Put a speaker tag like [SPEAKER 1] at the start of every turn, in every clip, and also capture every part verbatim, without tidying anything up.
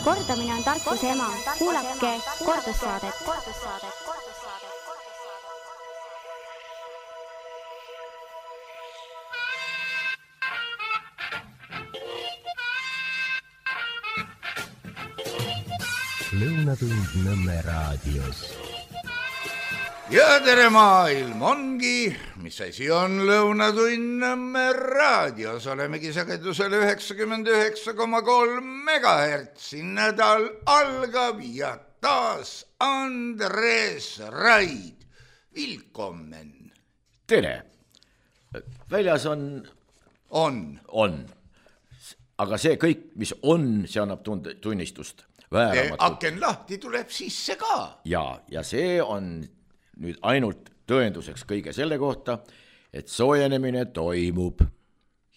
[SPEAKER 1] Kordamine on tarkuse ema. Kuulake kordussaadet.
[SPEAKER 2] Lõunatund Nõmme raadios.
[SPEAKER 3] Ja tere maailm ongi, mis asi on Lõunatund Nõmme raadios. Olemegi sagedusel üheksakümmend üheksa koma kolm megahertsi. Nädal algab ja taas Andres Raid. Willkommen.
[SPEAKER 4] Tere. Väljas on...
[SPEAKER 3] On.
[SPEAKER 4] On. Aga see kõik, mis on, see annab tunnistust.
[SPEAKER 3] Aken lahti tuleb sisse ka.
[SPEAKER 4] Ja, ja see on nüüd ainult tõenduseks kõige selle kohta, et soojenemine toimub.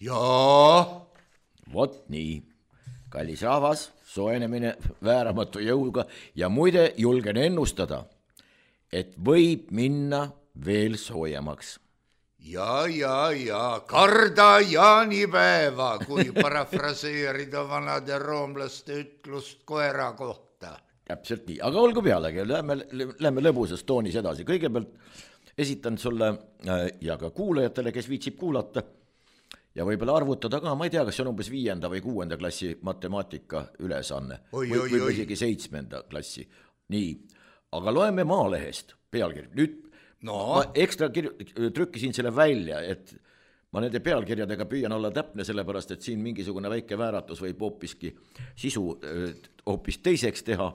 [SPEAKER 3] Jaa.
[SPEAKER 4] Vot nii. Kallis rahvas, soojenemine vääramatu jõuga ja muide julgen ennustada, et võib minna veel soojemaks.
[SPEAKER 3] Ja, ja, ja, karda jaanipäeva, kui parafraseerida vanade roomlaste ütlust koera kohta.
[SPEAKER 4] Täpselt nii, aga olgu pealegi, lähme, lähme lõbusas toonis edasi. Kõigepealt esitan sulle ja ka kuulajatele, kes viitsib kuulata ja võib-olla arvutada ka, ma ei tea, kas see on umbes viienda või kuuenda klassi matemaatika ülesanne
[SPEAKER 3] oi,
[SPEAKER 4] või,
[SPEAKER 3] oi,
[SPEAKER 4] või
[SPEAKER 3] oi.
[SPEAKER 4] isegi seitsmenda klassi. Nii, aga loeme Maalehest pealkiri. Nüüd
[SPEAKER 3] no.
[SPEAKER 4] Ma ekstra kirju, trükkisin selle välja, et ma nende pealkirjadega püüan olla täpne, sellepärast, et siin mingisugune väike vääratus võib hoopiski sisu hoopis teiseks teha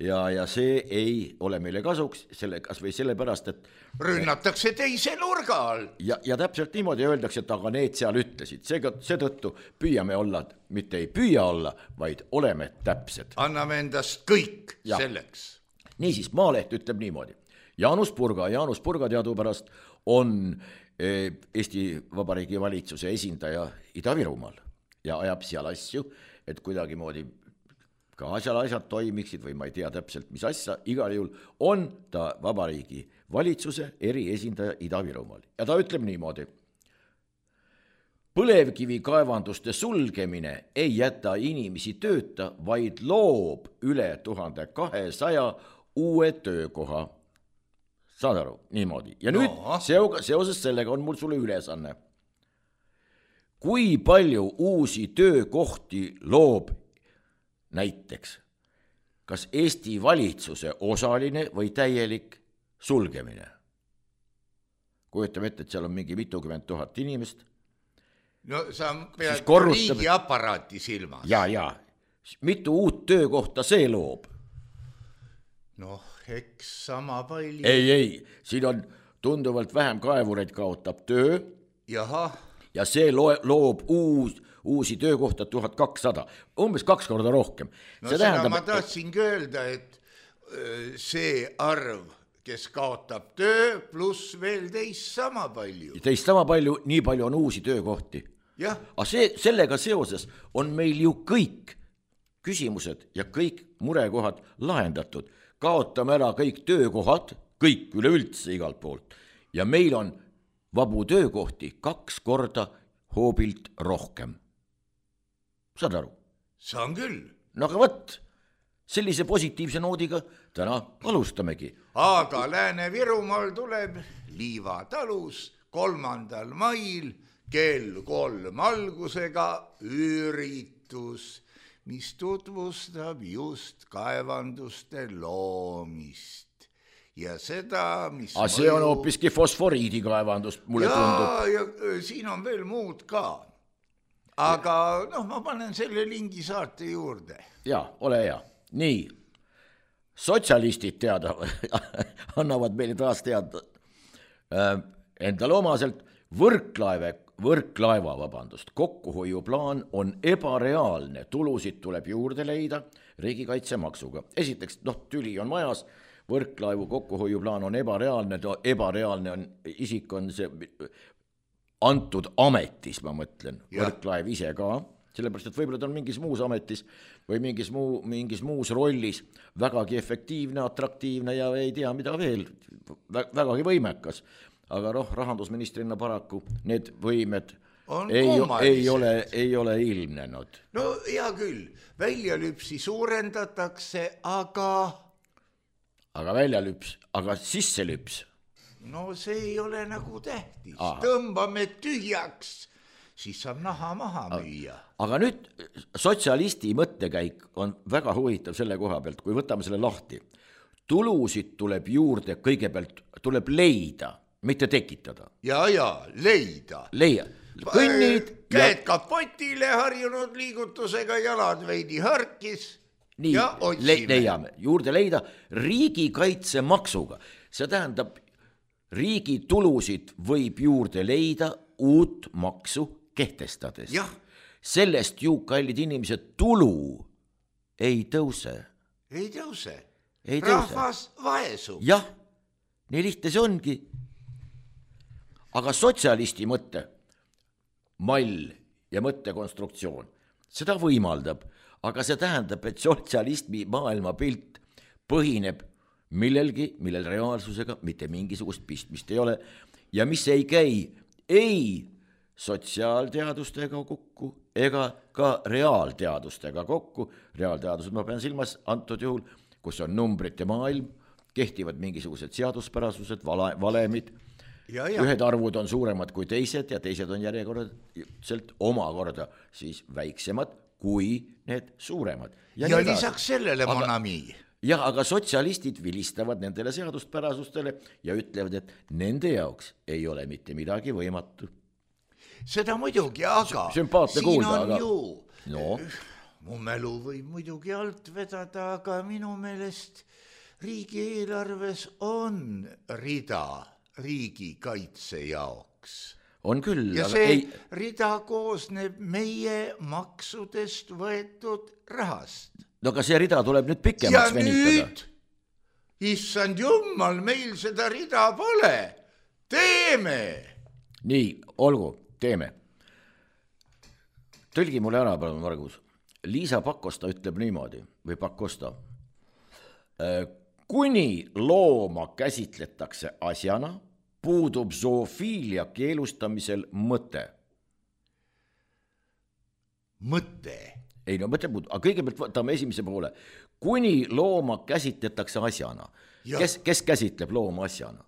[SPEAKER 4] ja, ja see ei ole meile kasuks, selle, kas või sellepärast, et
[SPEAKER 3] rünnatakse teise nurga all.
[SPEAKER 4] Ja, ja täpselt niimoodi öeldakse, et aga need seal ütlesid. Seega, seetõttu püüame olla, mitte ei püüa olla, vaid oleme täpsed.
[SPEAKER 3] Anname endast kõik ja. Selleks.
[SPEAKER 4] Niisiis, Maaleht ütleb niimoodi. Jaanus Purga, Jaanus Purga teadupärast on Eesti Vabariigi valitsuse esindaja Ida-Virumaal ja ajab seal asju, et kuidagi moodi ka asjal asjad toimiksid või ma ei tea täpselt, mis asja, igal juhul on ta Vabariigi valitsuse eriesindaja Ida-Virumaal. Ja ta ütleb niimoodi. Põlevkivi kaevanduste sulgemine ei jäta inimesi tööta, vaid loob üle tuhande kahesaja uue töökoha. Saad aru, niimoodi. Ja nüüd no. Seoses sellega on mul sulle ülesanne. Kui palju uusi töökohti loob näiteks, kas Eesti valitsuse osaline või täielik sulgemine? Kujutame ette, et seal on mingi mitukümmend tuhat inimest.
[SPEAKER 3] No sa pead
[SPEAKER 4] korrutab...
[SPEAKER 3] riigiaparaati silmas.
[SPEAKER 4] Ja, ja. Mitu uut töökohta see loob?
[SPEAKER 3] Noh, eks sama palju.
[SPEAKER 4] Ei, ei, siin on tunduvalt vähem kaevureid kaotab töö.
[SPEAKER 3] Jaha.
[SPEAKER 4] Ja see loob uus, uusi töökohta tuhat kakssada, umbes kaks korda rohkem.
[SPEAKER 3] No see seda tähendab, ma tahtsingi öelda, et see arv, kes kaotab töö, pluss veel teist sama palju.
[SPEAKER 4] Teist sama palju, nii palju on uusi töökohti.
[SPEAKER 3] Jah.
[SPEAKER 4] Aga see, sellega seoses on meil ju kõik küsimused ja kõik murekohad lahendatud. Kaotame ära kõik töökohad, kõik üleüldse igalt poolt. Ja meil on vabu töökohti kaks korda hoobilt rohkem. Saad aru?
[SPEAKER 3] Saan küll.
[SPEAKER 4] No aga võtt, sellise positiivse noodiga täna alustamegi.
[SPEAKER 3] Aga Lääne-Virumaal tuleb Liiva talus kolmandal mail kell kolm algusega üritus, mis tutvustab just kaevanduste loomist. Ja seda, mis...
[SPEAKER 4] A see on hoopiski fosforiidi kaevandus, mulle
[SPEAKER 3] ja,
[SPEAKER 4] tundub.
[SPEAKER 3] Ja siin on veel muud ka. Aga noh, ma panen selle lingi saate juurde.
[SPEAKER 4] Ja, ole hea. Nii, sotsialistid teada, annavad meile taas teada endale omaselt võrklaeve, võrklaeva, vabandust, kokkuhoiuplaan on ebareaalne, tulusid tuleb juurde leida riigikaitsemaksuga. Esiteks, noh, tüli on majas, võrklaevu kokkuhoiuplaan on ebareaalne, ebareaalne on, isik on see antud ametis, ma mõtlen, ja. Võrklaev ise ka, sellepärast, et võib-olla ta on mingis muus ametis või mingis, muu, mingis muus rollis vägagi efektiivne, atraktiivne ja ei tea mida veel, vägagi võimekas. Aga roh, rahandusministrina paraku need võimed
[SPEAKER 3] on
[SPEAKER 4] ei,
[SPEAKER 3] kummalised.
[SPEAKER 4] Ei ole, ei ole ilmnenud.
[SPEAKER 3] No hea küll, väljalüpsi suurendatakse, aga...
[SPEAKER 4] Aga väljalüps, aga sisselüps?
[SPEAKER 3] No see ei ole nagu tähtis.
[SPEAKER 4] Aha.
[SPEAKER 3] Tõmbame tühjaks, siis saab naha maha müüa.
[SPEAKER 4] Aga nüüd sotsialisti mõttekäik on väga huvitav selle koha pealt, kui võtame selle lahti. Tulusid tuleb juurde, kõigepealt tuleb leida, mitte tekitada.
[SPEAKER 3] Ja, ja, leida.
[SPEAKER 4] Leia. Kõnnid.
[SPEAKER 3] Käed ja... kapotile harjunud liigutusega, jalad veidi harkis.
[SPEAKER 4] Nii,
[SPEAKER 3] ja otsime.
[SPEAKER 4] Leiame. Juurde leida riigikaitsemaksuga. See tähendab, riigi tulusid võib juurde leida uut maksu kehtestades.
[SPEAKER 3] Ja.
[SPEAKER 4] Sellest ju, kallid inimesed, tulu ei tõuse.
[SPEAKER 3] Ei tõuse.
[SPEAKER 4] Ei
[SPEAKER 3] Rahvas vaesub.
[SPEAKER 4] Jah, nii lihtne see ongi. Aga sotsialisti mõtte, mall ja mõttekonstruktsioon, seda võimaldab, aga see tähendab, et sotsialismi maailmapilt põhineb millelgi, millel reaalsusega mitte mingisugust pistmist ei ole ja mis ei käi ei sotsiaalteadustega kokku ega ka reaalteadustega kokku. Reaalteadused ma pean silmas antud juhul, kus on numbrite maailm, kehtivad mingisugused seaduspärasused, vale, valemid. Ja, ja. Ühed arvud on suuremad kui teised ja teised on järjekordselt omakorda siis väiksemad kui need suuremad.
[SPEAKER 3] Ja, ja lisaks sellele monami.
[SPEAKER 4] Jah, aga sotsialistid vilistavad nendele seaduspärasustele ja ütlevad, et nende jaoks ei ole mitte midagi võimatu.
[SPEAKER 3] Seda muidugi, aga
[SPEAKER 4] Sümpaatne
[SPEAKER 3] siin
[SPEAKER 4] kuulda,
[SPEAKER 3] on
[SPEAKER 4] aga...
[SPEAKER 3] ju...
[SPEAKER 4] No.
[SPEAKER 3] Mu mälu võib muidugi alt vedada, aga minu meelest riigieelarves on rida riigikaitse jaoks.
[SPEAKER 4] On küll.
[SPEAKER 3] Ja
[SPEAKER 4] aga
[SPEAKER 3] see
[SPEAKER 4] ei...
[SPEAKER 3] rida koosneb meie maksudest võetud rahast.
[SPEAKER 4] No aga see rida tuleb nüüd pikemaks
[SPEAKER 3] ja
[SPEAKER 4] venitada.
[SPEAKER 3] Ja nüüd, issand jummal, meil seda rida pole. Teeme!
[SPEAKER 4] Nii, olgu, teeme. Tõlgi mulle ära, palun, Margus. Liisa Pakosta ütleb niimoodi, või Pakosta. Kuni looma käsitletakse asjana, puudub zoofiilia keelustamisel mõte.
[SPEAKER 3] Mõte?
[SPEAKER 4] Ei, no mõte puudub, aga kõigepealt võtame esimese poole. Kuni looma käsitletakse asjana. Kes, kes käsitleb looma asjana?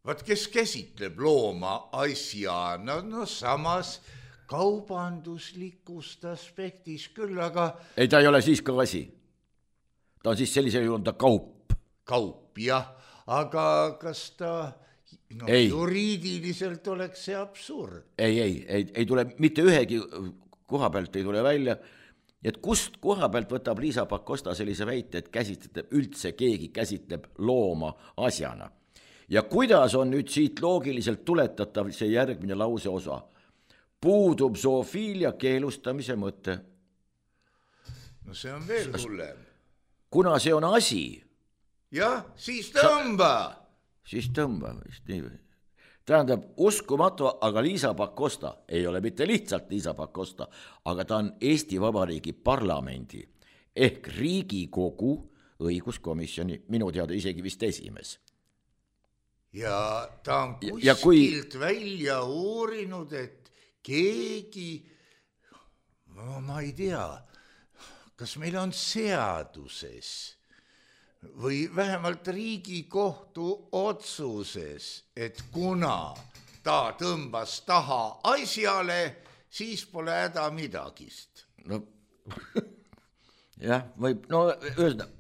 [SPEAKER 3] Vaat kes käsitleb looma asjana, no samas... kaubanduslikust aspektis küll, aga...
[SPEAKER 4] Ei, ta ei ole siis ka asi. Ta on siis sellisel juhul ta kaup.
[SPEAKER 3] Kaup, jah. Aga kas ta no, juriidiliselt oleks see absurd?
[SPEAKER 4] Ei, ei, ei, ei tule mitte ühegi koha pealt ei tule välja. Et kust koha pealt võtab Liisa Pakosta sellise väite, et käsitleb, üldse keegi käsitleb looma asjana. Ja kuidas on nüüd siit loogiliselt tuletatav see järgmine lause osa? Puudub zoofiilia keelustamise mõte.
[SPEAKER 3] No see on veel hullem.
[SPEAKER 4] Kuna see on asi.
[SPEAKER 3] Jah, siis tõmba.
[SPEAKER 4] Sa... Siis tõmba. Tähendab, uskumatu, aga Liisa Pakosta ei ole mitte lihtsalt Liisa Pakosta, aga ta on Eesti Vabariigi parlamendi ehk Riigikogu õiguskomisjoni, minu teada isegi vist esimees.
[SPEAKER 3] Ja ta on kuskilt
[SPEAKER 4] ja kui...
[SPEAKER 3] välja uurinud, et keegi, no ma ei tea, kas meil on seaduses või vähemalt Riigikohtu otsuses, et kuna ta tõmbas taha asjale, siis pole häda midagist.
[SPEAKER 4] No, jah, võib, no ühesõnaga,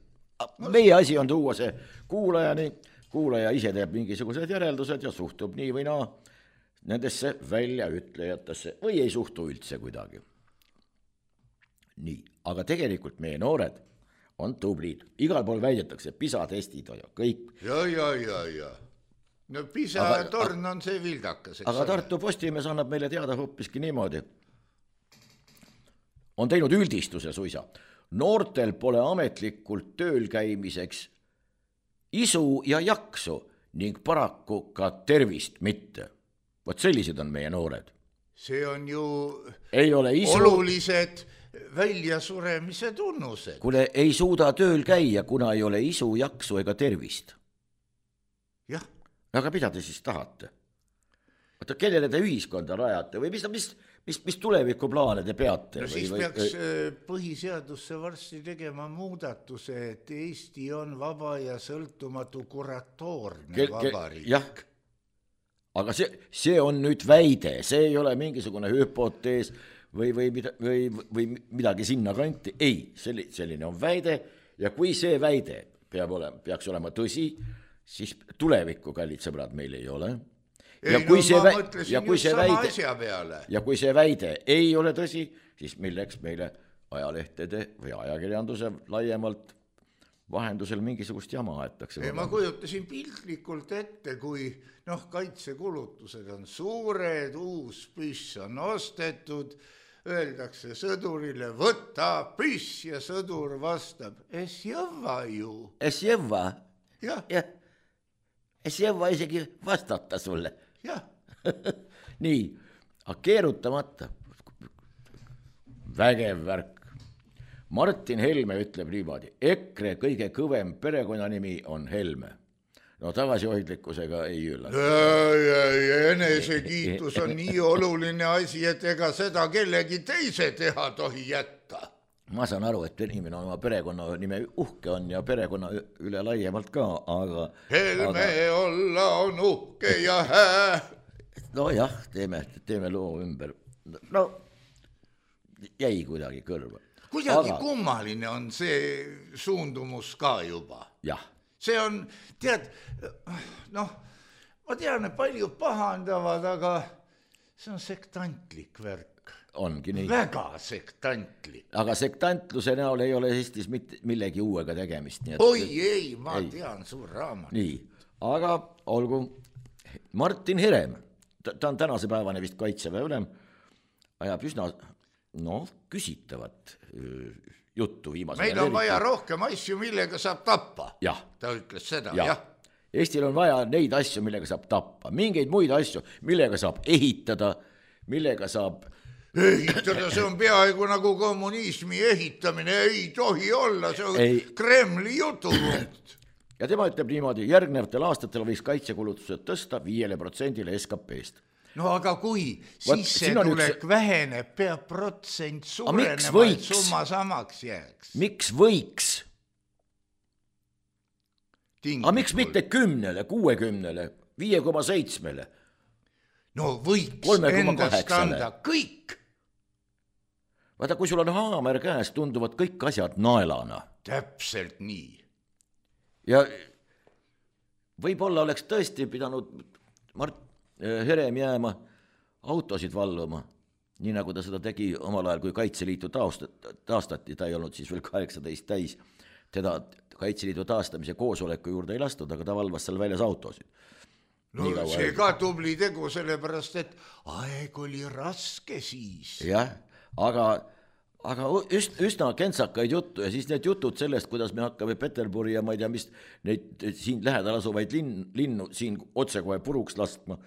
[SPEAKER 4] meie asi on tuua see kuulajani, kuulaja ise teeb mingisugused järeldused ja suhtub nii või naa nendesse väljaütlejatesse või ei suhtu üldse kuidagi. Nii, aga tegelikult meie noored on tublid. Igal pool väidetakse, PISA-testid ja kõik.
[SPEAKER 3] Ja, ja, ja, ja. No PISA-torn on see vildakas.
[SPEAKER 4] Aga Tartu Postimees annab meile teada hoopiski niimoodi. On teinud üldistuse suisa. Noortel pole ametlikult tööl käimiseks isu ja jaksu ning paraku ka tervist mitte. Vot sellised on meie noored.
[SPEAKER 3] See on ju
[SPEAKER 4] ei ole isu...
[SPEAKER 3] olulised väljasuremise tunnused.
[SPEAKER 4] Kuule, ei suuda tööl käia, kuna ei ole isu, jaksu ega tervist.
[SPEAKER 3] Jah.
[SPEAKER 4] Aga mida te siis tahate? oota, kellele te ühiskonda rajate või mis, mis, mis, mis tulevikuplaane te peate?
[SPEAKER 3] No siis
[SPEAKER 4] või,
[SPEAKER 3] peaks või... põhiseadusse varsti tegema muudatuse, et Eesti on vaba ja sõltumatu kuratoorne ke, vabariik.
[SPEAKER 4] Jah, aga see, see on nüüd väide, see ei ole mingisugune hüpotees või, või, mida, või, või midagi sinna kanti. Ei, selline on väide ja kui see väide peab olema, peaks olema tõsi, siis tulevikku, kallid sõbrad, meil ei ole. Ja
[SPEAKER 3] ei,
[SPEAKER 4] kui
[SPEAKER 3] no
[SPEAKER 4] see
[SPEAKER 3] ma
[SPEAKER 4] vä...
[SPEAKER 3] mõtlesin
[SPEAKER 4] ja kui
[SPEAKER 3] just
[SPEAKER 4] see
[SPEAKER 3] sama
[SPEAKER 4] väide...
[SPEAKER 3] asja peale.
[SPEAKER 4] Ja kui see väide ei ole tõsi, siis milleks meile ajalehtede või ajakirjanduse laiemalt vahendusel mingisugust jama aetakse.
[SPEAKER 3] Ei, ma kujutasin piltlikult ette, kui noh, kaitsekulutused on suured, uus püss on ostetud, öeldakse sõdurile, võta püss ja sõdur vastab, es jõva ju.
[SPEAKER 4] Es jõva?
[SPEAKER 3] Jah.
[SPEAKER 4] Ja. Es jõva isegi vastata sulle.
[SPEAKER 3] Jah.
[SPEAKER 4] Nii, aga keerutamata. Vägev värk. Martin Helme ütleb niimoodi, EKRE kõige kõvem perekonnanimi on Helme. No tagasihoidlikkusega ei üllata.
[SPEAKER 3] Enesekiitus on nii oluline asi, et ega seda kellegi teise teha tohi jätta.
[SPEAKER 4] Ma saan aru, et inimene oma perekonna nime uhke on ja perekonna üle laiemalt ka, aga...
[SPEAKER 3] Helme aga... olla on uhke ja hää.
[SPEAKER 4] No jah, teeme, teeme loo ümber. No jäi kuidagi kõrva.
[SPEAKER 3] Kuidagi aga... kummaline on see suundumus ka juba.
[SPEAKER 4] Jah.
[SPEAKER 3] See on, tead, noh, ma tean, et palju pahandavad, aga see on sektantlik värk.
[SPEAKER 4] Ongi nii.
[SPEAKER 3] Väga sektantlik.
[SPEAKER 4] Aga sektantluse näol ei ole Eestis mitte millegi uuega tegemist. Nii et...
[SPEAKER 3] Oi ei, ma ei. tean suur raamat.
[SPEAKER 4] Nii, aga olgu Martin Herem, ta, ta on tänase päevane vist kaitseväe ülem, ajab üsna, noh, küsitavat juttu viimase.
[SPEAKER 3] Meil on vaja rohkem asju, millega saab tappa.
[SPEAKER 4] Jah.
[SPEAKER 3] Ta ütles seda,
[SPEAKER 4] jah.
[SPEAKER 3] jah.
[SPEAKER 4] Eestil on vaja neid asju, millega saab tappa. Mingeid muid asju, millega saab ehitada, millega saab...
[SPEAKER 3] Ehitada, see on peaaegu nagu kommunismi ehitamine, ei tohi olla, see on ei. Kremli jutupunkt.
[SPEAKER 4] Ja tema ütleb niimoodi, järgnevatel aastatel võiks kaitsekulutused tõsta viiele protsendile S K P-st.
[SPEAKER 3] No aga kui sissetulek üks... väheneb, peab protsent suurenema, et summa samaks jääks.
[SPEAKER 4] Miks võiks? Aga miks mitte kümnele, kuuekümnele, viie koma seitsmele?
[SPEAKER 3] No võiks endast anda kõik.
[SPEAKER 4] Vaata, kui sul on haamer käes, tunduvad kõik asjad naelana.
[SPEAKER 3] Täpselt nii.
[SPEAKER 4] Ja võib-olla oleks tõesti pidanud Mart Herem jääma autosid valluma, nii nagu ta seda tegi omal ajal, kui Kaitseliitu taastati, ta ei olnud siis veel kaheksateist täis, teda Kaitseliidu taastamise koosoleku juurde ei lastud, aga ta valvas seal väljas autosid.
[SPEAKER 3] No see ka tubli tegu, sellepärast, et aeg oli raske siis.
[SPEAKER 4] Jah, aga, aga üst, üsna kentsakaid juttu ja siis need jutud sellest, kuidas me hakkame Peterburi ja ma ei tea, mis neid siin lähedal asuvaid linn, linnu siin otsekohe puruks laskma,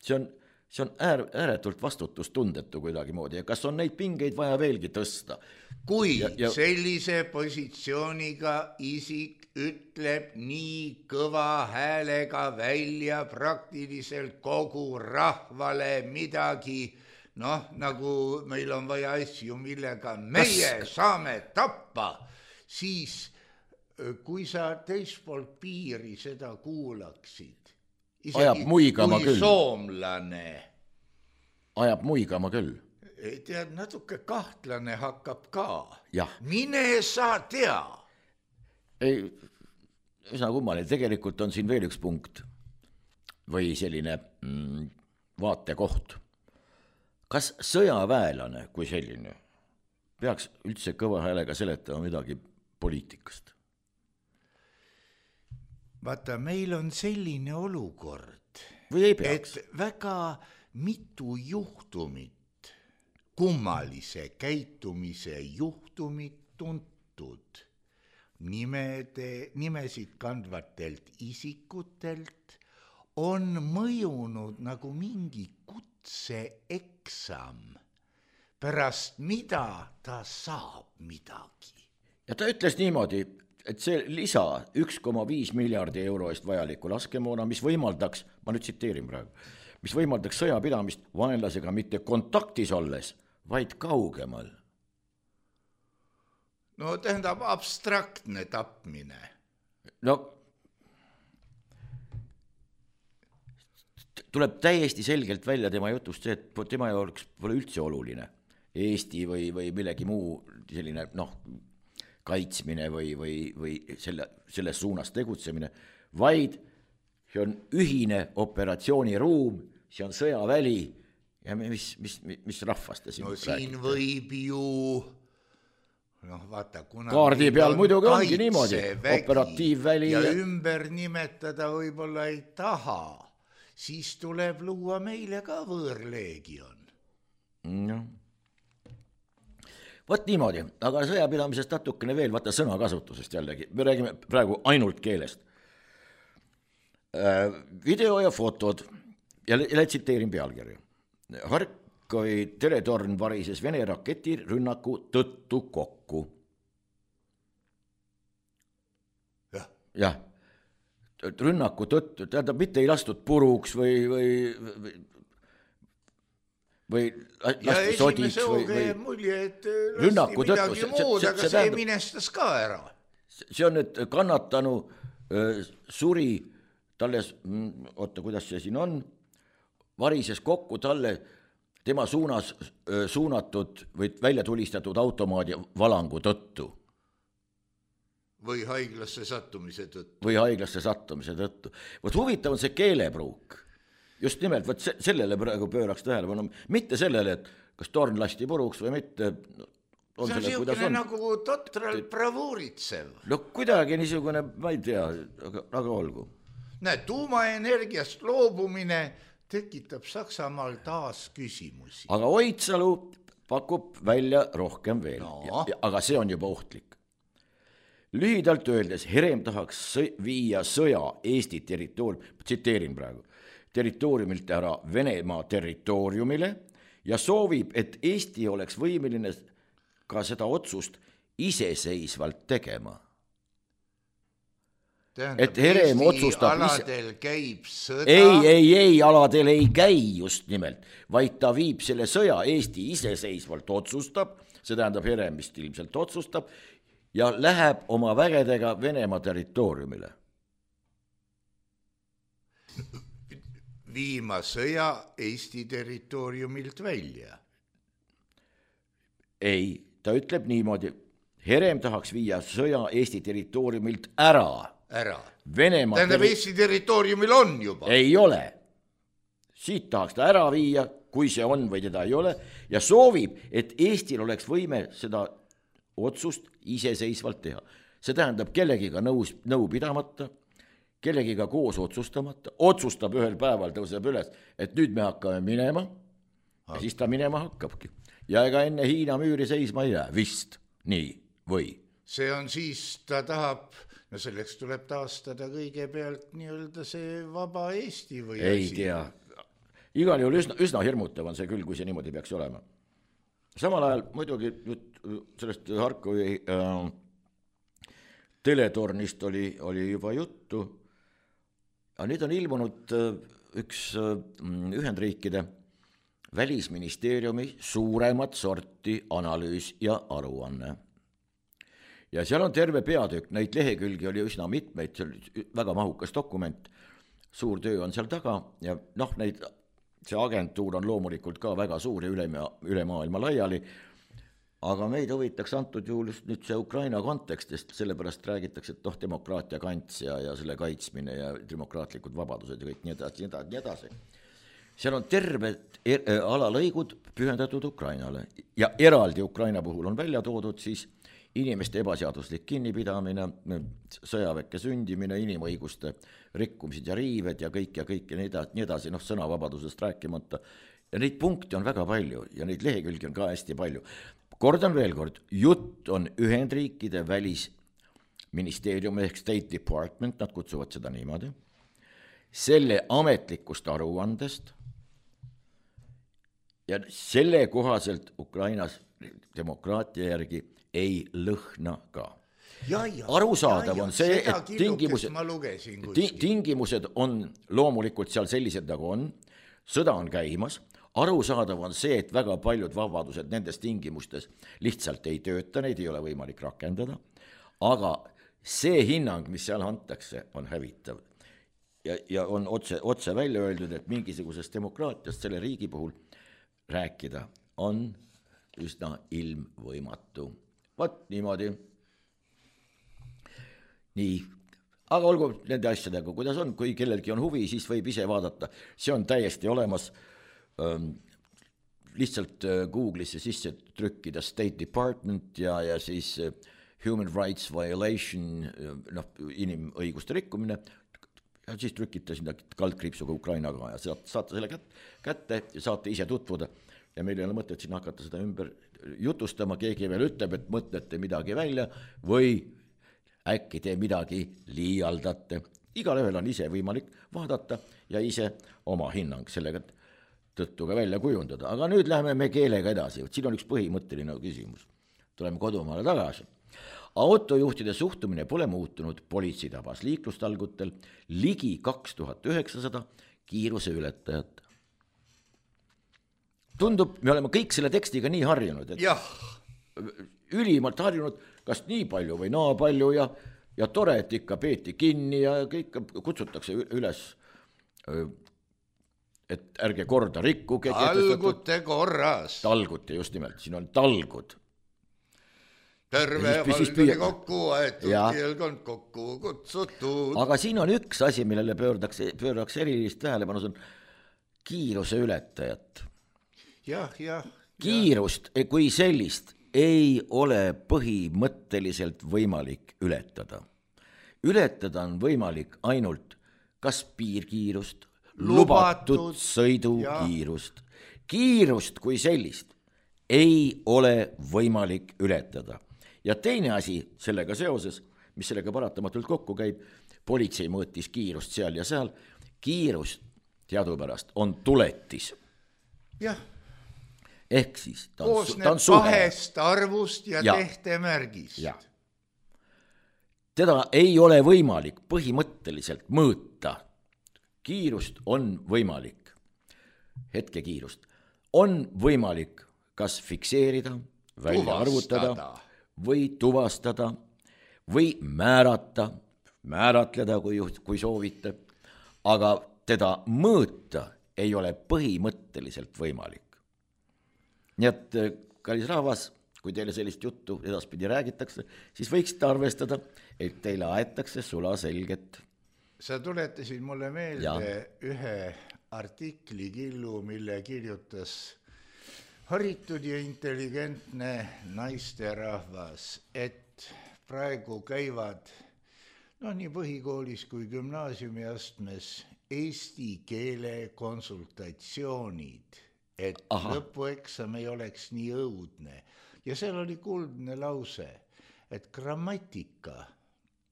[SPEAKER 4] see on, see on äär, ääretult vastutustundetu kuidagi moodi ja kas on neid pingeid vaja veelgi tõsta?
[SPEAKER 3] Kui ja, ja... sellise positsiooniga isik ütleb nii kõva häälega välja praktiliselt kogu rahvale midagi, noh, nagu meil on vaja asju, millega meie Kas... saame tappa, siis kui sa teispool piiri seda kuulaksid, isegi kui küll. Soomlane.
[SPEAKER 4] Ajab muigama küll.
[SPEAKER 3] Tead, natuke kahtlane hakkab ka.
[SPEAKER 4] Ja.
[SPEAKER 3] Mine sa tea.
[SPEAKER 4] Ei, üsna kummaline, tegelikult on siin veel üks punkt või selline mm, vaatekoht. Kas sõjaväelane kui selline peaks üldse kõva häälega seletama midagi poliitikast?
[SPEAKER 3] Vaata, meil on selline olukord,
[SPEAKER 4] või ei peaks?
[SPEAKER 3] Et väga mitu juhtumit, kummalise käitumise juhtumit tuntud nimede, nimesid kandvatelt isikutelt on mõjunud nagu mingi kutseeksam, pärast mida ta saab midagi.
[SPEAKER 4] Ja ta ütles niimoodi, et see lisa üks koma viis miljardi euro eest vajaliku laskemoona, mis võimaldaks, ma nüüd tsiteerin praegu, mis võimaldaks sõjapidamist vaenlasega mitte kontaktis olles, vaid kaugemal.
[SPEAKER 3] No tähendab abstraktne tapmine.
[SPEAKER 4] No tuleb täiesti selgelt välja tema jutust see, et tema jaoks pole üldse oluline Eesti või, või millegi muu selline noh, kaitsmine või, või, või selle, selles suunas tegutsemine, vaid see on ühine operatsiooniruum, see on sõjaväli ja mis, mis, mis rahvast ta siin
[SPEAKER 3] no
[SPEAKER 4] rääkida?
[SPEAKER 3] Siin võib ju noh, vaata, kuna
[SPEAKER 4] kaardi peal muidugi ongi niimoodi, operatiivväli
[SPEAKER 3] ja, ja ümber nimetada võib-olla ei taha, siis tuleb luua meile ka võõrleegion.
[SPEAKER 4] Noh. Vot niimoodi, aga sõjapidamisest natukene veel, vaata sõnakasutusest jällegi, me räägime praegu ainult keelest. Video ja fotod, ja tsiteerin pealkirja. Harkovi teletorn varises Vene raketi rünnaku tõttu kokku.
[SPEAKER 3] jah,
[SPEAKER 4] jah, rünnaku tõttu, tähendab, mitte ei lastud puruks või, või, või või lasti sodiks või, või
[SPEAKER 3] mulje, et
[SPEAKER 4] rünnaku
[SPEAKER 3] tõttu,
[SPEAKER 4] see,
[SPEAKER 3] muud,
[SPEAKER 4] see,
[SPEAKER 3] aga
[SPEAKER 4] see,
[SPEAKER 3] see tähendab, minestas ka ära.
[SPEAKER 4] See on, et kannatanu äh, suri talle, oota, kuidas see siin on, varises kokku talle tema suunas äh, suunatud või välja tulistatud automaadi valangu tõttu.
[SPEAKER 3] Või haiglasse sattumise tõttu.
[SPEAKER 4] Või haiglasse sattumise tõttu. Võt huvitav on see keelepruuk. Just nimelt, võt sellele praegu pööraks tähelepanu, mitte sellele, et kas torn lasti puruks või mitte. On
[SPEAKER 3] see on
[SPEAKER 4] selle,
[SPEAKER 3] siukene nagu totral bravuuritsev.
[SPEAKER 4] No kuidagi niisugune, ma ei tea, aga, aga olgu.
[SPEAKER 3] Näe, tuumaenergiast loobumine tekitab Saksamaal taas küsimusi.
[SPEAKER 4] Aga Oitsalu pakub välja rohkem veel,
[SPEAKER 3] no.
[SPEAKER 4] ja, aga see on juba ohtlik. Lühidalt öeldes, Herem tahaks viia sõja Eesti territoorium, tsiteerin praegu, territooriumilt ära Venemaa territooriumile ja soovib, et Eesti oleks võimeline ka seda otsust iseseisvalt tegema.
[SPEAKER 3] Tähendab,
[SPEAKER 4] et Herem
[SPEAKER 3] Eesti
[SPEAKER 4] otsustab
[SPEAKER 3] aladel ise... käib sõda.
[SPEAKER 4] Ei, ei, ei, aladel ei käi just nimelt, vaid ta viib selle sõja Eesti iseseisvalt otsustab, see tähendab Heremist ilmselt otsustab, ja läheb oma vägedega Venemaa territooriumile.
[SPEAKER 3] Viima sõja Eesti territooriumilt välja.
[SPEAKER 4] Ei, ta ütleb niimoodi, Herem tahaks viia sõja Eesti territooriumilt ära.
[SPEAKER 3] Ära.
[SPEAKER 4] Venemaa
[SPEAKER 3] tähendab, teri... Eesti territooriumil on juba.
[SPEAKER 4] Ei ole. Siit tahaks ta ära viia, kui see on või teda ei ole, ja soovib, et Eestil oleks võime seda otsust iseseisvalt teha. See tähendab kellegiga nõus, nõu pidamata, kellegiga koos otsustamata, otsustab ühel päeval, tõuseb üles, et nüüd me hakkame minema, ja siis ta minema hakkabki. Ja ega enne Hiina müüri seisma ei jää, vist, nii, või?
[SPEAKER 3] See on siis, ta tahab, no selleks tuleb taastada kõigepealt nii-öelda see vaba Eesti või
[SPEAKER 4] ei
[SPEAKER 3] asi.
[SPEAKER 4] tea, igal juhul üsna, üsna hirmutav on see küll, kui see niimoodi peaks olema. Samal ajal muidugi sellest Harkovi äh, teletornist oli, oli juba juttu. Ja nüüd on ilmunud üks Ühendriikide välisministeeriumi suuremat sorti analüüs ja aruanne. Ja seal on terve peatükk, neid lehekülgi oli üsna mitmeid, see oli väga mahukas dokument, suur töö on seal taga ja noh, neid, see agentuur on loomulikult ka väga suur ja üle, üle maailma laiali, aga meid huvitaks antud juhul just nüüd see Ukraina kontekstist, sellepärast räägitakse, et noh, demokraatia kants ja, ja selle kaitsmine ja demokraatlikud vabadused ja kõik nii edasi, nii edasi, nii edasi. Seal on terved er, alalõigud pühendatud Ukrainale ja eraldi Ukraina puhul on välja toodud siis inimeste ebaseaduslik kinnipidamine, sõjaväkke sündimine, inimõiguste rikkumised ja riived ja kõik ja kõik ja nii edasi, nii edasi, noh, sõnavabadusest rääkimata. Ja neid punkte on väga palju ja neid lehekülgi on ka hästi palju. Kordan veel kord, jutt on Ühendriikide välisministeerium ehk State Department, nad kutsuvad seda niimoodi, selle ametlikust aruandest ja selle kohaselt Ukrainas demokraatia järgi ei lõhna ka.
[SPEAKER 3] Ja, ja,
[SPEAKER 4] arusaadav
[SPEAKER 3] ja, ja,
[SPEAKER 4] on see, et tingimused,
[SPEAKER 3] lugesin,
[SPEAKER 4] tingimused on loomulikult seal sellised nagu on, sõda on käimas, arusaadav on see, et väga paljud vabadused nendes tingimustes lihtsalt ei tööta, neid ei ole võimalik rakendada, aga see hinnang, mis seal antakse, on hävitav. Ja, ja on otse, otse välja öeldud, et mingisugusest demokraatiast selle riigi puhul rääkida on üsna ilmvõimatu. Vot niimoodi. Nii, aga olgu nende asjadega, kuidas on, kui kellelgi on huvi, siis võib ise vaadata. See on täiesti olemas, ähm, lihtsalt Google'isse sisse trükkida State Department ja, ja siis Human Rights Violation, noh, inimõiguste rikkumine, ja siis trükite sinna kaldkriipsuga Ukrainaga ja saate selle kätte ja saate ise tutvuda. Ja meil ei ole mõtet siin hakata seda ümber jutustama, keegi veel ütleb, et mõtlete midagi välja või äkki te midagi liialdate. Igal ühel on ise võimalik vaadata ja ise oma hinnang sellega tõttu ka välja kujundada. Aga nüüd läheme me keelega edasi. Siin on üks põhimõtteline küsimus. Tuleme kodumaale tagasi. Autojuhtide suhtumine pole muutunud, politsei tabas liiklustalgutel ligi kaks tuhat üheksasada kiiruse ületajat. Tundub, me oleme kõik selle tekstiga nii harjunud, et
[SPEAKER 3] jah.
[SPEAKER 4] ülimalt harjunud, kas nii palju või naa palju ja, ja tore, et ikka peeti kinni ja kõik kutsutakse üles, et ärge korda rikkuge.
[SPEAKER 3] Talgute korras.
[SPEAKER 4] Talgute, just nimelt, siin on talgud.
[SPEAKER 3] Terve valdani kokku aetud, kielkond kokku kutsutud.
[SPEAKER 4] Aga siin on üks asi, millele pöördaks, pöördaks erilist tähelepanu, see on kiiruse ületajat.
[SPEAKER 3] Jah, jah.
[SPEAKER 4] Kiirust kui sellist ei ole põhimõtteliselt võimalik ületada. Ületada on võimalik ainult kas piirkiirust, lubatud, lubatud sõidukiirust. Kiirust kui sellist ei ole võimalik ületada. Ja teine asi sellega seoses, mis sellega paratamatult kokku käib, politsei mõõtis kiirust seal ja seal, kiirust teadupärast on tuletis.
[SPEAKER 3] Jah.
[SPEAKER 4] Ehk siis ta on,
[SPEAKER 3] koosneb
[SPEAKER 4] ta on suhe.
[SPEAKER 3] Kahest arvust ja, ja tehtemärgist. Ja.
[SPEAKER 4] Teda ei ole võimalik põhimõtteliselt mõõta. Kiirust on võimalik, hetkekiirust, on võimalik kas fikseerida, välja tuvastada. Arvutada või tuvastada või määrata, määratleda, kui, kui soovite, aga teda mõõta ei ole põhimõtteliselt võimalik. Nii et, kallis rahvas, kui teile sellist juttu edaspidi räägitakse, siis võiksite arvestada, et teile aetakse sula selget.
[SPEAKER 3] Sa tuletasid mulle meelde ja. Ühe artikli killu, mille kirjutas haritud ja intelligentne naisterahvas, et praegu käivad no, nii põhikoolis kui gümnaasiumi astmes eesti keele konsultatsioonid, et Aha. lõpueksam ei oleks nii õudne. Ja seal oli kuldne lause, et grammatika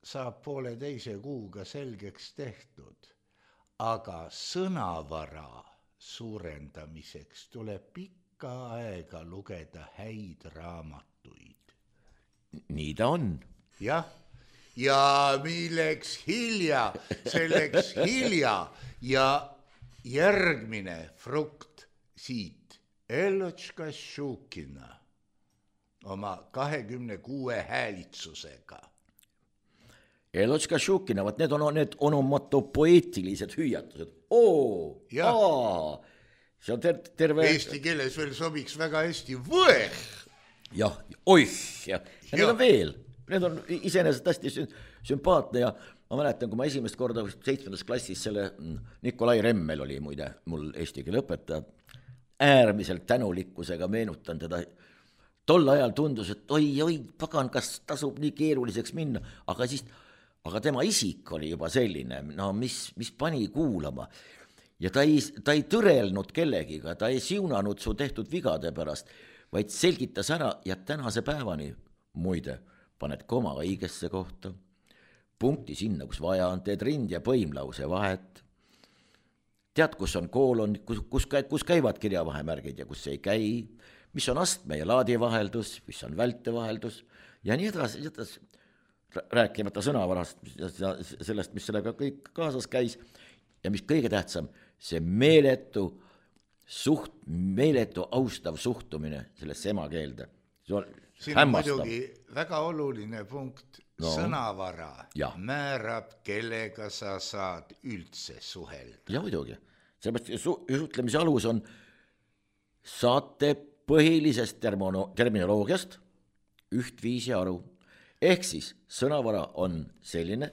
[SPEAKER 3] saab poole teise kuuga selgeks tehtud, aga sõnavara suurendamiseks tuleb pikka aega lugeda häid raamatuid.
[SPEAKER 4] Nii ta on.
[SPEAKER 3] Jah, ja milleks hilja, selleks hilja ja järgmine frukt siit, Elotška Šukina oma kahekümne kuue häälitsusega.
[SPEAKER 4] Elotška Šukina, vaat need on need onomatopoeetilised hüüatused. Oo, aa, see on ter- terve...
[SPEAKER 3] Eesti keeles veel sobiks väga hästi võeh.
[SPEAKER 4] Jah, oih, ja, ja need on veel. Need on iseenesest hästi sümpaatne ja ma mäletan, kui ma esimest korda seitsmendas klassis selle Nikolai Remmel oli muide mul eesti keele õpetaja, äärmiselt tänulikkusega meenutan teda. Tol ajal tundus, et oi, oi, pagan, kas tasub nii keeruliseks minna, aga siis, aga tema isik oli juba selline, no mis, mis pani kuulama. Ja ta ei, ta ei tõrelnud kellegiga, ta ei siunanud su tehtud vigade pärast, vaid selgitas ära ja tänase päevani, muide, paned koma õigesse kohta, punkti sinna, kus vaja on, teed rind ja põimlause vahet. Tead, kus on koolon, kus, kus, kus käivad kirjavahemärgid ja kus ei käi, mis on astme ja laadivaheldus, mis on vältevaheldus ja nii edasi, edasi. Rääkimata sõnavarast ja sellest, mis sellega kõik kaasas käis ja mis kõige tähtsam, see meeletu suht, meeletu austav suhtumine sellesse emakeelde. See on
[SPEAKER 3] siin
[SPEAKER 4] hämmastav.
[SPEAKER 3] muidugi väga oluline punkt, no. Sõnavara ja. Määrab, kellega sa saad üldse suhelda.
[SPEAKER 4] Ja muidugi, sellepärast suhtlemise alus on saate põhilisest termono, terminoloogiast ühtviisi aru. Ehk siis sõnavara on selline,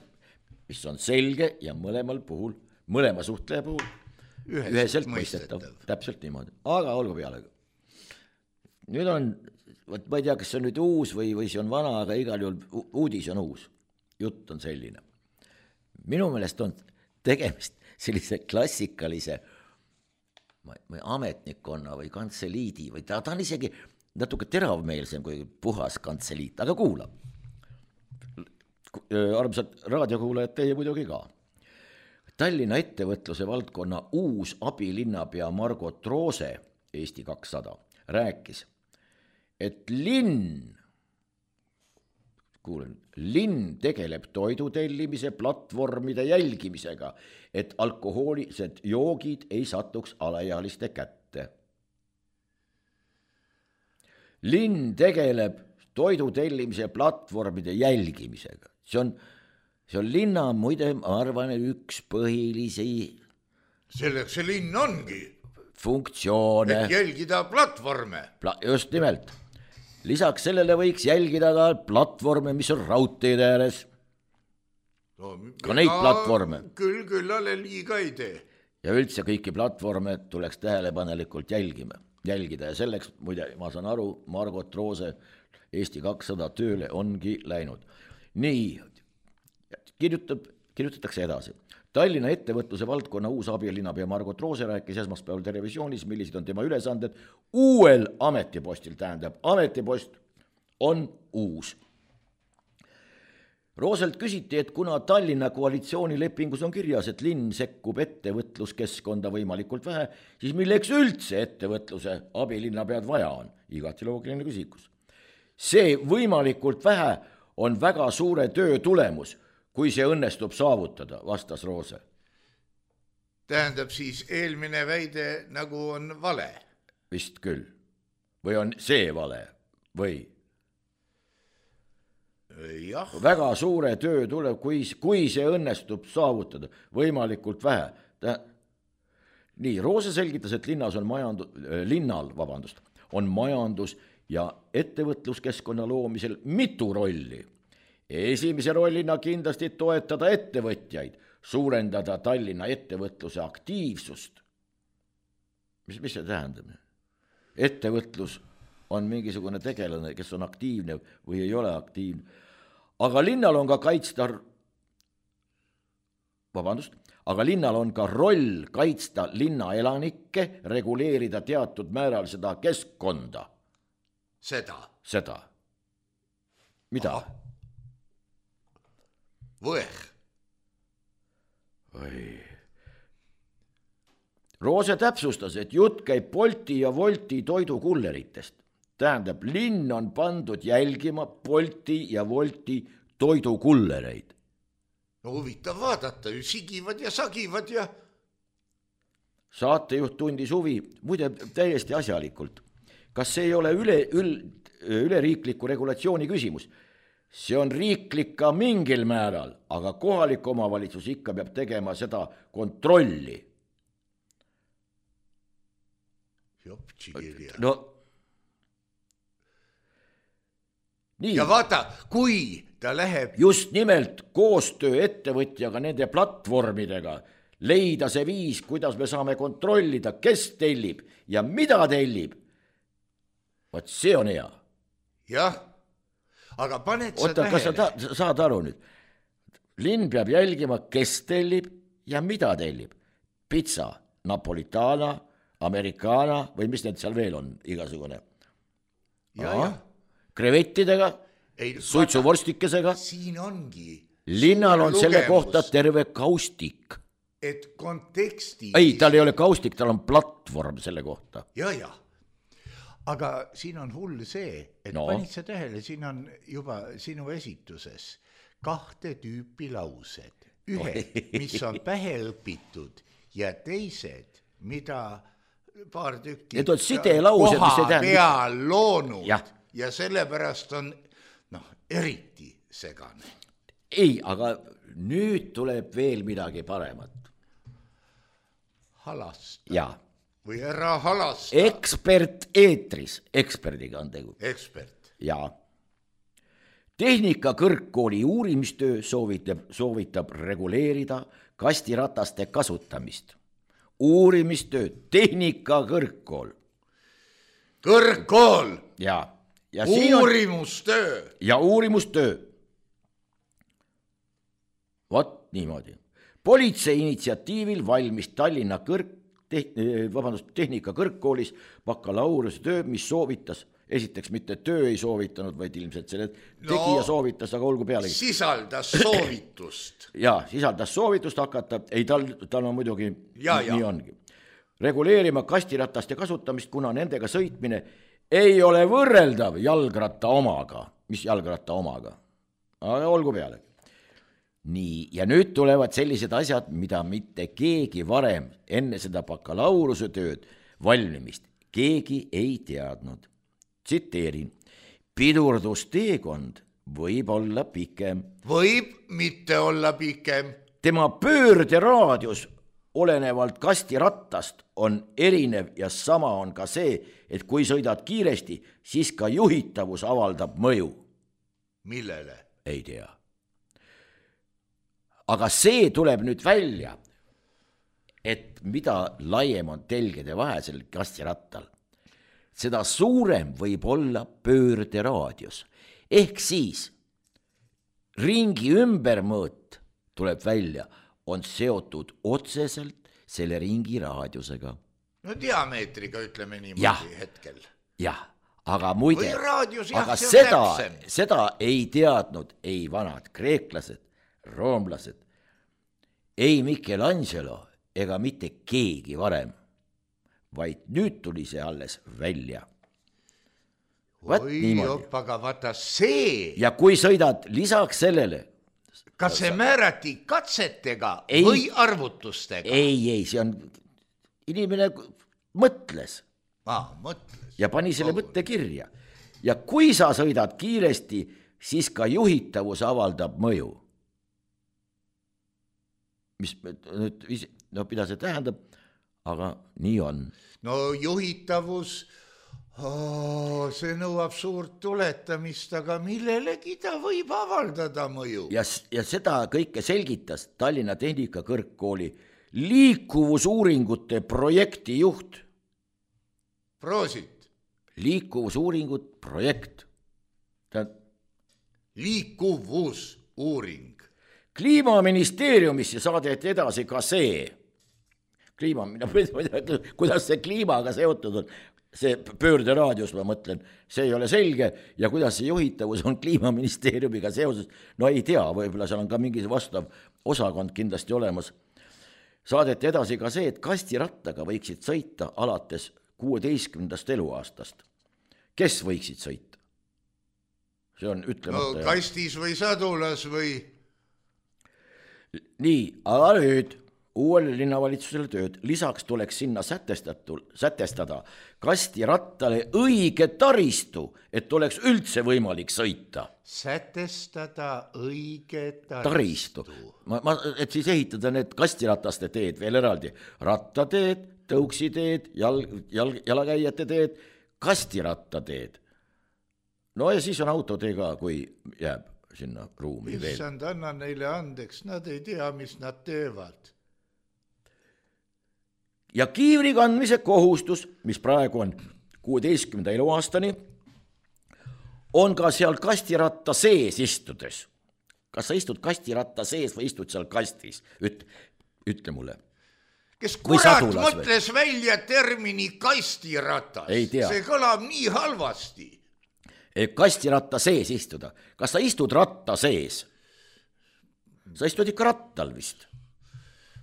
[SPEAKER 4] mis on selge ja mõlemal puhul, mõlema suhtleja puhul üheselt, üheselt mõistetav. Täpselt niimoodi, aga olgu peale. Nüüd on, võt, ma ei tea, kas see on nüüd uus või, või see on vana, aga igal juhul uudis on uus. Jutt on selline. Minu meelest on tegemist sellise klassikalise või ametnikkonna või kantseliidi või ta, ta on isegi natuke teravmeelsem kui puhas kantseliit, aga kuula. Armsad raadiokuulajad, teie muidugi ka. Tallinna ettevõtluse valdkonna uus abilinnapea Margot Roose, Eesti kakssada, rääkis, et linn, kuulen, linn tegeleb toidutellimise platvormide jälgimisega, et alkohoolised joogid ei satuks alaealiste kätte. Linn tegeleb toidutellimise platvormide jälgimisega. See on, see on linna, muide, ma arvan, üks põhilisi
[SPEAKER 3] selleks see linn ongi
[SPEAKER 4] funktsioone.
[SPEAKER 3] Et jälgida platvorme.
[SPEAKER 4] Pla- just nimelt. Lisaks sellele võiks jälgida ka platvorme, mis on raudteede ääres.
[SPEAKER 3] No,
[SPEAKER 4] ka neid platvorme.
[SPEAKER 3] Küll, küll ale liiga ei tee.
[SPEAKER 4] Ja üldse kõiki platvorme tuleks tähelepanelikult jälgima, jälgida ja selleks, muide, ma saan aru, Margot Roose Eesti kakssada tööle ongi läinud. Nii, kirjutab, kirjutatakse edasi. Tallinna ettevõtluse valdkonna uus abilinnapea Margot Roose rääkis esmaspäeval televisioonis, millised on tema ülesanded uuel ametipostil, tähendab, ametipost on uus. Rooselt küsiti, et kuna Tallinna koalitsioonilepingus on kirjas, et linn sekkub ettevõtluskeskkonda võimalikult vähe, siis milleks üldse ettevõtluse abilinnapead vaja on? Igati loogiline küsimus. See võimalikult vähe on väga suure töö tulemus, kui see õnnestub saavutada, vastas Roose.
[SPEAKER 3] Tähendab siis eelmine väide nagu on vale?
[SPEAKER 4] Vist küll. Või on see vale? Või?
[SPEAKER 3] Jah.
[SPEAKER 4] Väga suure töö tuleb, kui, kui see õnnestub saavutada, võimalikult vähe. Ta... Nii, Roose selgitas, et linnas on majandu... linnal, vabandust, on majandus ja ettevõtluskeskkonna loomisel mitu rolli. Esimese rollina kindlasti toetada ettevõtjaid, suurendada Tallinna ettevõtluse aktiivsust. Mis, mis see tähendab? Ettevõtlus on mingisugune tegelane, kes on aktiivne või ei ole aktiivne. Aga linnal on ka kaitsta, vabandust, aga linnal on ka roll kaitsta linna elanikke, reguleerida teatud määral seda keskkonda.
[SPEAKER 3] Seda?
[SPEAKER 4] Seda. Mida?
[SPEAKER 3] Aha. Võeh.
[SPEAKER 4] Oi. Roose täpsustas, et jutt käib Bolti ja Wolti toidukulleritest. Tähendab, linn on pandud jälgima Bolti ja Wolti toidukullereid.
[SPEAKER 3] No huvitav vaadata, ju sigivad ja sagivad ja...
[SPEAKER 4] Saatejuht tundis huvi, muide täiesti asjalikult. Kas see ei ole üle, üle, üleriikliku regulatsiooni küsimus? See on riiklik ka mingil määral, aga kohalik omavalitsus ikka peab tegema seda kontrolli.
[SPEAKER 3] Joptsikirja.
[SPEAKER 4] No, nii.
[SPEAKER 3] Ja vaata, kui ta läheb...
[SPEAKER 4] Just nimelt koostöö ettevõtjaga nende platvormidega, leida see viis, kuidas me saame kontrollida, kes tellib ja mida tellib. Vaat see on hea.
[SPEAKER 3] Jah, aga paned sa
[SPEAKER 4] Oota,
[SPEAKER 3] tähele.
[SPEAKER 4] Kas sa ta, saad aru nüüd? Linn peab jälgima, kes tellib ja mida tellib. Pizza, napolitana, americana või mis need seal veel on igasugune.
[SPEAKER 3] Ja, ja.
[SPEAKER 4] Krevettidega, suitsuvorstikesega.
[SPEAKER 3] Siin ongi.
[SPEAKER 4] Linnal on selle kohta terve kaustik.
[SPEAKER 3] Et konteksti...
[SPEAKER 4] Ei, tal ei ole kaustik, tal on platvorm selle kohta.
[SPEAKER 3] Ja, ja. Aga siin on hull see, et no. Panid sa tähele, siin on juba sinu esituses kahte tüüpi laused. Ühe, mis on pähe õpitud ja teised, mida paar tükki
[SPEAKER 4] Need on sidelaused, mis ei
[SPEAKER 3] koha
[SPEAKER 4] tähenda-
[SPEAKER 3] peal loonud
[SPEAKER 4] ja.
[SPEAKER 3] ja sellepärast on noh, eriti segane.
[SPEAKER 4] Ei, aga nüüd tuleb veel midagi paremat.
[SPEAKER 3] Halasta.
[SPEAKER 4] Ja.
[SPEAKER 3] Või ära halasta.
[SPEAKER 4] Ekspert eetris, eksperdiga on tegu.
[SPEAKER 3] Ekspert.
[SPEAKER 4] Ja. Tehnika kõrgkooli uurimistöö soovitab, soovitab reguleerida kastirataste kasutamist. Uurimistöö, tehnika kõrgkool.
[SPEAKER 3] Kõrgkool.
[SPEAKER 4] Ja. Ja
[SPEAKER 3] uurimustöö.
[SPEAKER 4] On, ja uurimustöö. Vot niimoodi. Politsei initsiatiivil valmis Tallinna kõrg, te, vabandust, tehnika kõrgkoolis bakalaureuse töö, mis soovitas, esiteks mitte töö ei soovitanud, vaid ilmselt selle tegija no, soovitas, aga olgu pealegi.
[SPEAKER 3] Sisaldas soovitust.
[SPEAKER 4] Ja, sisaldas soovitust hakata, ei tal, tal on muidugi,
[SPEAKER 3] ja,
[SPEAKER 4] nii
[SPEAKER 3] ja.
[SPEAKER 4] ongi. Reguleerima kastirataste kasutamist, kuna nendega sõitmine ei ole võrreldav jalgratta omaga. Mis jalgratta omaga? Aga olgu pealegi. Nii, ja nüüd tulevad sellised asjad, mida mitte keegi varem enne seda bakalaureuse tööd valmimist keegi ei teadnud. Tsiteerin, pidurdusteekond võib olla pikem.
[SPEAKER 3] Võib mitte olla pikem.
[SPEAKER 4] Tema pöörderaadius olenevalt kastirattast on erinev ja sama on ka see, et kui sõidad kiiresti, siis ka juhitavus avaldab mõju.
[SPEAKER 3] Millele?
[SPEAKER 4] Ei tea. Aga see tuleb nüüd välja, et mida laiem on telgede vahel kastirattal, seda suurem võib olla pöörderaadius. Ehk siis ringi ümbermõõt tuleb välja, on seotud otseselt selle ringi raadiusega.
[SPEAKER 3] No diameetriga ütleme niimoodi
[SPEAKER 4] ja,
[SPEAKER 3] hetkel.
[SPEAKER 4] Jah, aga muide,
[SPEAKER 3] raadius, jah,
[SPEAKER 4] aga
[SPEAKER 3] seda,
[SPEAKER 4] seda ei teadnud ei vanad kreeklased, roomlased, ei Michelangelo ega mitte keegi varem, vaid nüüd tuli see alles välja.
[SPEAKER 3] Oi jopp, aga vaata see.
[SPEAKER 4] Ja kui sõidad lisaks sellele.
[SPEAKER 3] Kas see määrati katsetega
[SPEAKER 4] ei,
[SPEAKER 3] või arvutustega?
[SPEAKER 4] Ei, ei, see on, inimene mõtles.
[SPEAKER 3] Ah, mõtles.
[SPEAKER 4] Ja pani selle mõtte kirja. Ja kui sa sõidad kiiresti, siis ka juhitavus avaldab mõju. Mis nüüd, no mida see tähendab, aga nii on.
[SPEAKER 3] No juhitavus, oh, see nõuab suurt tuletamist, aga millelegi ta võib avaldada mõju.
[SPEAKER 4] Ja, ja seda kõike selgitas Tallinna Tehnika Kõrgkooli liikuvusuuringute projekti juht.
[SPEAKER 3] Proosit.
[SPEAKER 4] Liikuvusuuringut projekt. Ta...
[SPEAKER 3] Liikuvusuuring.
[SPEAKER 4] Kliimaministeeriumisse saadeti edasi ka see. Kliima, kuidas see kliimaga seotud on, see pöörderaadius, ma mõtlen, see ei ole selge ja kuidas see juhitavus on Kliimaministeeriumiga seoses, no ei tea, võib-olla seal on ka mingi vastav osakond kindlasti olemas. Saadeti edasi ka see, et kastirattaga võiksid sõita alates kuueteistkümnendast eluaastast. Kes võiksid sõita? See on ütlemata.
[SPEAKER 3] No kastis või sadulas või?
[SPEAKER 4] Nii, aga nüüd uuele linnavalitsusele tööd. Lisaks tuleks sinna sätestada kastirattale õige taristu, et oleks üldse võimalik sõita.
[SPEAKER 3] Sätestada õige taristu.
[SPEAKER 4] Taristu. Ma, ma, et siis ehitada need kastirataste teed veel eraldi. Rattateed, tõuksiteed, jal, jal, jalakäijate teed, kastirattateed. No ja siis on autotee ka, kui jääb sinna ruumi veel.
[SPEAKER 3] Issand, anna neile andeks, nad ei tea, mis nad teevad.
[SPEAKER 4] Ja kiivri kandmise kohustus, mis praegu on kuueteistkümnenda eluaastani, on ka seal kastiratta sees istudes. Kas sa istud kastiratta sees või istud seal kastis? Üt, ütle mulle.
[SPEAKER 3] Kes kurat mõtles või? Välja termini kastiratas? See kõlab nii halvasti.
[SPEAKER 4] Kastiratta sees istuda. Kas sa istud ratta sees? Sa istud ikka rattal vist.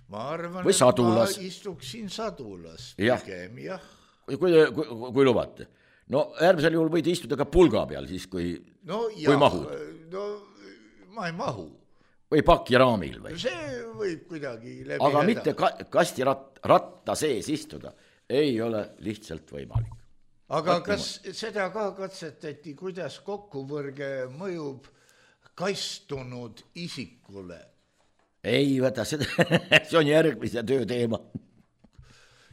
[SPEAKER 3] Ma arvan,
[SPEAKER 4] või sadulas.
[SPEAKER 3] Et ma istuksin sadulas.
[SPEAKER 4] Jah.
[SPEAKER 3] Pigem, jah.
[SPEAKER 4] Kui, kui, kui, kui lubate. No äärmisel juhul võid istuda ka pulga peal, siis kui,
[SPEAKER 3] no,
[SPEAKER 4] kui mahud.
[SPEAKER 3] No ma ei mahu.
[SPEAKER 4] või pakiraamil või?
[SPEAKER 3] See võib kuidagi läbi
[SPEAKER 4] aga
[SPEAKER 3] häda.
[SPEAKER 4] mitte ka, kastiratt, ratta sees istuda ei ole lihtsalt võimalik.
[SPEAKER 3] Aga kas seda ka katsetati, kuidas kokkuvõrge mõjub kastunud isikule?
[SPEAKER 4] Ei, võta seda, see on järgmise töö teema.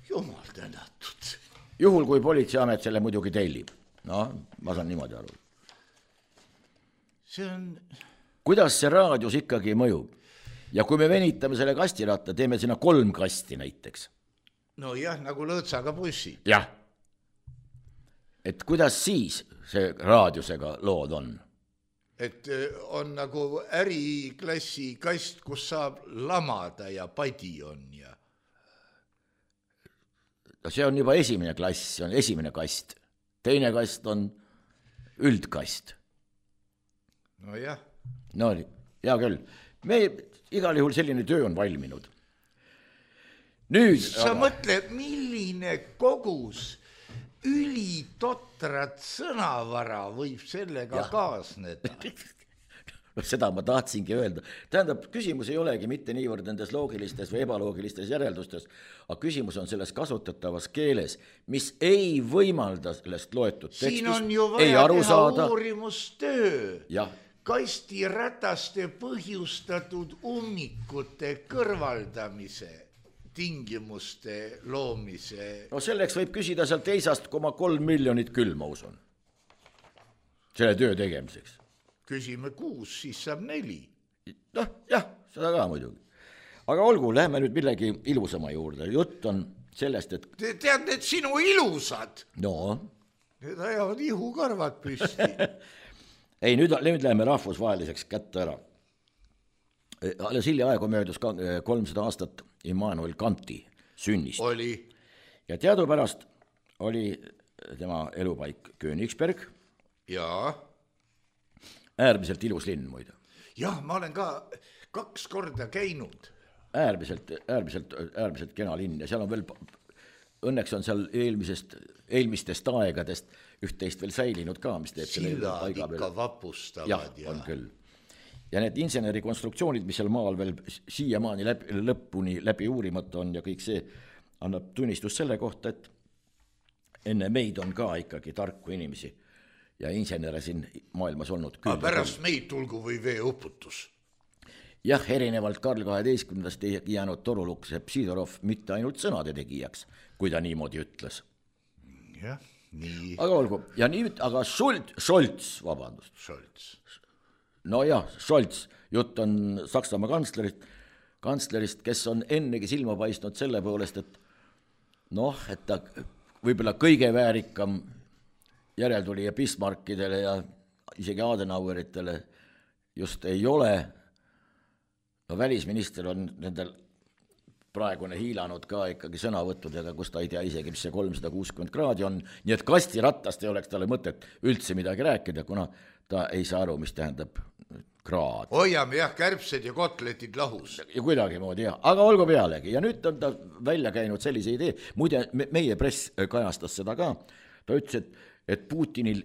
[SPEAKER 3] Jumal tänatud.
[SPEAKER 4] Juhul, kui politseiamet selle muidugi tellib. No, ma saan niimoodi aru.
[SPEAKER 3] See on...
[SPEAKER 4] Kuidas see raadios ikkagi mõjub? Ja kui me venitame selle kastiratta, teeme sinna kolm kasti näiteks.
[SPEAKER 3] No jah, nagu lõõtsaga bussi.
[SPEAKER 4] Jah. Et kuidas siis see raadiosega lood on?
[SPEAKER 3] Et on nagu äriklassi kast, kus saab lamada ja padi on ja...
[SPEAKER 4] See on juba esimene klass, see on esimene kast. Teine kast on üldkast.
[SPEAKER 3] No jah.
[SPEAKER 4] No hea küll. Me igal juhul selline töö on valminud. Nüüd...
[SPEAKER 3] Sa aga... mõtle, milline kogus ülitotrat sõnavara võib sellega ja. Kaasneda.
[SPEAKER 4] Seda ma tahtsingi öelda. Tähendab, küsimus ei olegi mitte niivõrd nendes loogilistes või ebaloogilistes järeldustes, aga küsimus on selles kasutatavas keeles, mis ei võimalda sellest loetud tekstist.
[SPEAKER 3] Siin on ju vaja teha saada. Uurimustöö.
[SPEAKER 4] Ja.
[SPEAKER 3] Kastirataste põhjustatud ummikute kõrvaldamise tingimuste loomise.
[SPEAKER 4] No selleks võib küsida seal teisast koma kolm miljonit küll, ma usun. Selle töö tegemiseks.
[SPEAKER 3] Küsime kuus, siis saab neli.
[SPEAKER 4] Noh, jah, seda ka muidugi. Aga olgu, lähme nüüd millegi ilusama juurde. Jutt on sellest, et...
[SPEAKER 3] Te tead, need sinu ilusad.
[SPEAKER 4] No.
[SPEAKER 3] Need ajavad ihukarvad püsti.
[SPEAKER 4] Ei, nüüd, nüüd läheme rahvusvaheliseks kätte ära. Alles hilja aegu möödus kolmsada aastat Immanuel Kanti sünnist.
[SPEAKER 3] Oli.
[SPEAKER 4] Ja teadupärast oli tema elupaik Königsberg.
[SPEAKER 3] Jaa.
[SPEAKER 4] Äärmiselt ilus linn muide.
[SPEAKER 3] Jah, ma olen ka kaks korda käinud.
[SPEAKER 4] Äärmiselt, äärmiselt, äärmiselt kena linn ja seal on veel, õnneks on seal eelmisest, eelmistest aegadest üht-teist veel säilinud ka, mis teeb
[SPEAKER 3] Sillad ikka veel... vapustavad.
[SPEAKER 4] Jah, ja... on küll. Ja need insenerikonstruktsioonid, mis seal maal veel siiamaani läbi, lõpuni läbi uurimata on ja kõik see annab tunnistus selle kohta, et enne meid on ka ikkagi tarku inimesi ja insenere siin maailmas olnud küll.
[SPEAKER 3] Aga pärast meid tulgu või veeuputus.
[SPEAKER 4] Jah, erinevalt Karl kaheteistkümnendast ei jäänud Toruluks Psidorov mitte ainult sõnade tegijaks, kui ta niimoodi ütles.
[SPEAKER 3] Jah, nii.
[SPEAKER 4] Aga olgu, ja nüüd, aga Schultz, Scholz, vabandust.
[SPEAKER 3] Scholz.
[SPEAKER 4] No jah, Scholz, jutt on Saksamaa kantslerist, kantslerist, kes on ennegi silma paistnud selle poolest, et noh, et ta võib-olla kõige väärikam järeltuli ja Bismarckidele ja isegi Adenaueritele just ei ole. No välisminister on nendel praegune hiilanud ka ikkagi sõnavõttudega, kus ta ei tea isegi, mis see kolmsada kuuskümmend kraadi on. Nii et kastiratast ei oleks talle mõtet üldse midagi rääkida, kuna ta ei saa aru, mis tähendab kraad.
[SPEAKER 3] Hoiame jah, kärbsed ja kotletid lahus.
[SPEAKER 4] Ja kuidagi moodi jah, aga olgu pealegi. Ja nüüd on ta välja käinud sellise idee. Muide, meie press kajastas seda ka. Ta ütles, et et Putinil,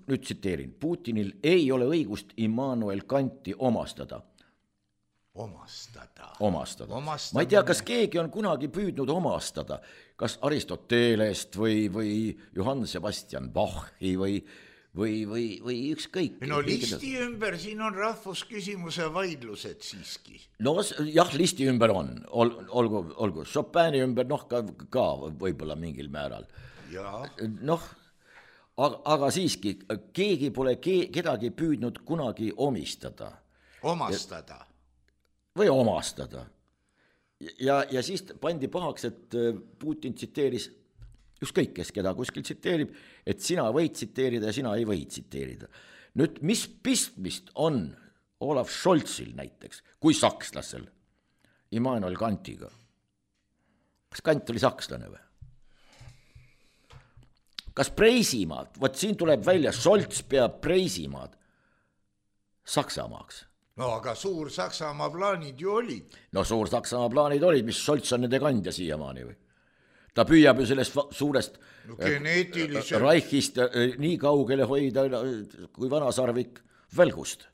[SPEAKER 4] nüüd tsiteerin, Putinil ei ole õigust Immanuel Kanti omastada.
[SPEAKER 3] Omastada.
[SPEAKER 4] Omastada.
[SPEAKER 3] Omastada.
[SPEAKER 4] Ma ei tea, kas keegi on kunagi püüdnud omastada, kas Aristotelest või, või Johann Sebastian Bachi või, või, või, või ükskõik.
[SPEAKER 3] No listi ümber, siin on rahvusküsimuse vaidlused siiski.
[SPEAKER 4] No jah, listi ümber on, Ol, olgu, olgu, Chopini ümber, noh ka, ka võib-olla mingil määral.
[SPEAKER 3] Jaa.
[SPEAKER 4] Noh, aga, aga siiski, keegi pole ke, kedagi püüdnud kunagi omistada.
[SPEAKER 3] Omastada.
[SPEAKER 4] Või omastada. Ja, ja siis pandi pahaks, et Putin tsiteeris, ükskõik kes keda kuskil tsiteerib, et sina võid tsiteerida ja sina ei või tsiteerida. Nüüd, mis pistmist on Olaf Scholzil näiteks, kui sakslasel, Immanuel Kantiga? Kas Kant oli sakslane või? Kas Preisimaad, vot siin tuleb välja, Scholz peab Preisimaad Saksamaaks.
[SPEAKER 3] No aga suur Saksamaa plaanid ju olid.
[SPEAKER 4] No suur Saksamaa plaanid olid, mis Scholz on nende kandja siiamaani või? Ta püüab ju sellest suurest
[SPEAKER 3] no, geneetiliselt...
[SPEAKER 4] Reichist nii kaugele hoida kui vanasarvik välgust.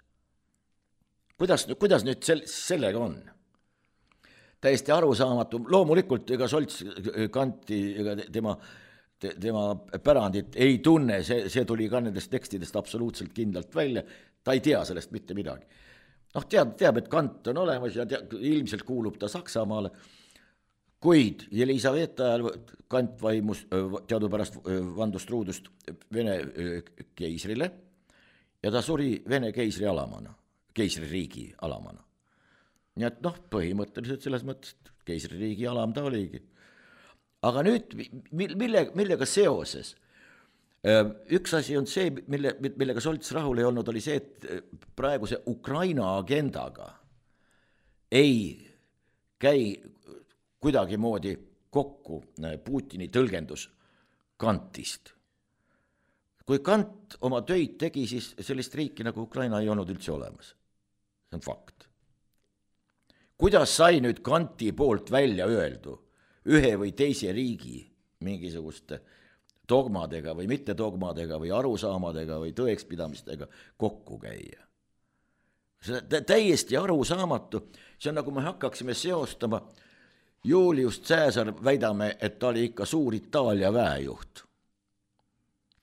[SPEAKER 4] kuidas, kuidas nüüd sel, sellega on? Täiesti arusaamatu, loomulikult ega Solts Kanti ega tema, tema pärandit ei tunne, see, see tuli ka nendest tekstidest absoluutselt kindlalt välja, ta ei tea sellest mitte midagi. Noh, teab, teab, et Kant on olemas ja tea, ilmselt kuulub ta Saksamaale, kuid Jelisaveta ajal Kant vaimus teadupärast vandust truudust Vene keisrile ja ta suri Vene keisri alamana, keisririigi alamana. Nii et noh, põhimõtteliselt selles mõttes keisririigi alam ta oligi. Aga nüüd, mille, millega seoses? Üks asi on see, mille, millega Solts rahul ei olnud, oli see, et praeguse Ukraina agendaga ei käi kuidagi moodi kokku Putini tõlgendus Kantist. Kui Kant oma töid tegi, siis sellist riiki nagu Ukraina ei olnud üldse olemas. See on fakt. Kuidas sai nüüd Kanti poolt välja öeldu ühe või teise riigi mingisuguste dogmadega või mitte dogmadega või arusaamadega või tõekspidamistega kokku käia? See on täiesti arusaamatu. See on nagu me hakkaksime seostama Julius Caesar, väidame, et ta oli ikka suur Itaalia väejuht.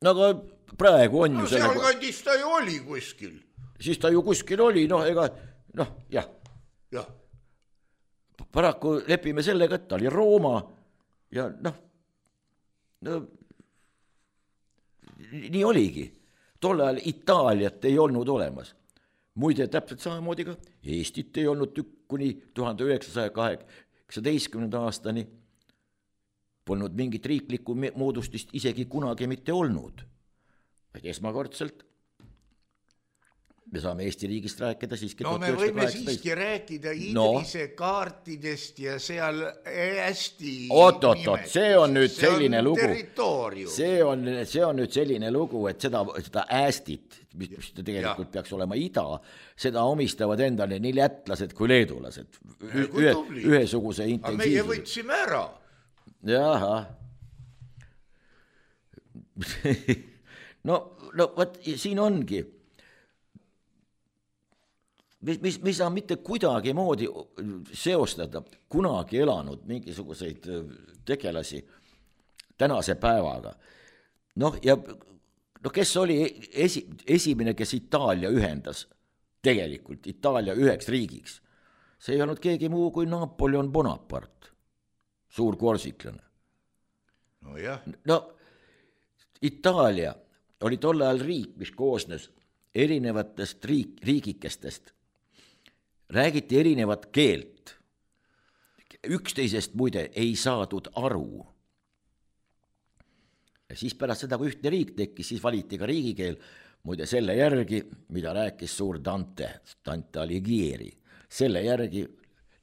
[SPEAKER 4] No aga praegu on
[SPEAKER 3] no,
[SPEAKER 4] ju selle...
[SPEAKER 3] seal kandis ta ju oli kuskil.
[SPEAKER 4] Siis ta ju kuskil oli, noh, ega, noh, jah.
[SPEAKER 3] Jah.
[SPEAKER 4] Paraku lepime sellega, et ta oli Rooma ja noh, no, nii oligi. Tolle ajal Itaaliat ei olnud olemas. Muide, täpselt samamoodi ka Eestit ei olnud kuni tuhande üheksasaja kaheksateistkümnenda aastani polnud mingit riiklikku moodustist isegi kunagi mitte olnud. Vaid esmakordselt me saame Eesti riigist rääkida siiski.
[SPEAKER 3] No me võime siiski rääkida Idrise no. kaartidest ja seal hästi
[SPEAKER 4] oot, oot, oot, see on nüüd see selline on lugu.
[SPEAKER 3] Territoorium.
[SPEAKER 4] See on, see on nüüd selline lugu, et seda, seda Ästit, mis tegelikult ja. peaks olema ida, seda omistavad endale nii lätlased kui leedulased. Ühe, ühesuguse intensiivsuse.
[SPEAKER 3] Aga meie võtsime ära.
[SPEAKER 4] Jaha. no, no võt, siin ongi. Mis, mis, mis on mitte kuidagi moodi seostada kunagi elanud mingisuguseid tegelasi tänase päevaga. Noh, ja no kes oli esi, esimene, kes Itaalia ühendas tegelikult Itaalia üheks riigiks? See ei olnud keegi muu kui Napoleon Bonaparte, suur korsiklane.
[SPEAKER 3] No jah.
[SPEAKER 4] No, Itaalia oli tolle ajal riik, mis koosnes erinevatest riik, riigikestest. Räägiti erinevat keelt. Üksteisest muide ei saadud aru. Ja siis pärast seda, kui ühtne riik tekkis, siis valiti ka riigikeel, muide selle järgi, mida rääkis suur Dante, Dante Alighieri. Selle järgi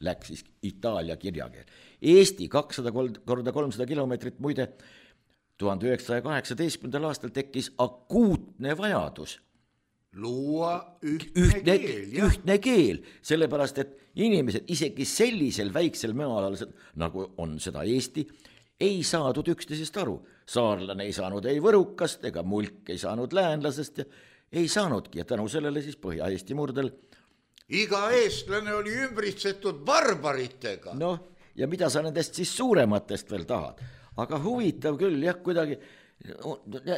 [SPEAKER 4] läks siis Itaalia kirjakeel. Eesti kakssada korda kolmsada kilomeetrit muide tuhande üheksasaja kaheksateistkümnendal aastal tekkis akuutne vajadus
[SPEAKER 3] luua ühtne,
[SPEAKER 4] ühtne
[SPEAKER 3] keel,
[SPEAKER 4] ühtne keel, sellepärast et inimesed isegi sellisel väiksel mealal, nagu on seda Eesti, ei saadud üksteisest aru. Saarlane ei saanud ei võrukast ega mulk ei saanud läänlasest ja ei saanudki ja tänu sellele siis Põhja-Eesti murdel.
[SPEAKER 3] Iga eestlane oli ümbritsetud barbaritega.
[SPEAKER 4] Noh, ja mida sa nendest siis suurematest veel tahad? Aga huvitav küll, jah, kuidagi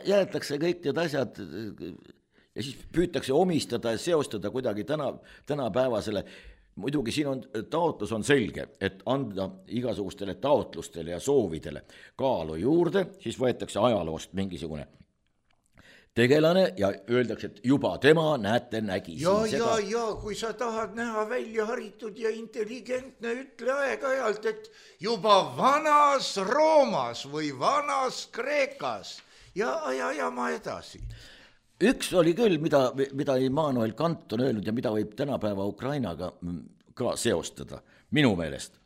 [SPEAKER 4] jäetakse kõik need asjad ja siis püütakse omistada ja seostada kuidagi täna, tänapäevasele. Muidugi siin on, taotlus on selge, et anda igasugustele taotlustele ja soovidele kaalu juurde, siis võetakse ajaloost mingisugune tegelane ja öeldakse, et juba tema näete nägi
[SPEAKER 3] ja, siin seda. Ja, ja, kui sa tahad näha välja haritud ja intelligentne, ütle aeg-ajalt, et juba vanas Roomas või vanas Kreekas ja, ja, ja ma edasi.
[SPEAKER 4] Üks oli küll, mida, mida Immanuel Kant on öelnud ja mida võib tänapäeva Ukrainaga ka seostada, minu meelest.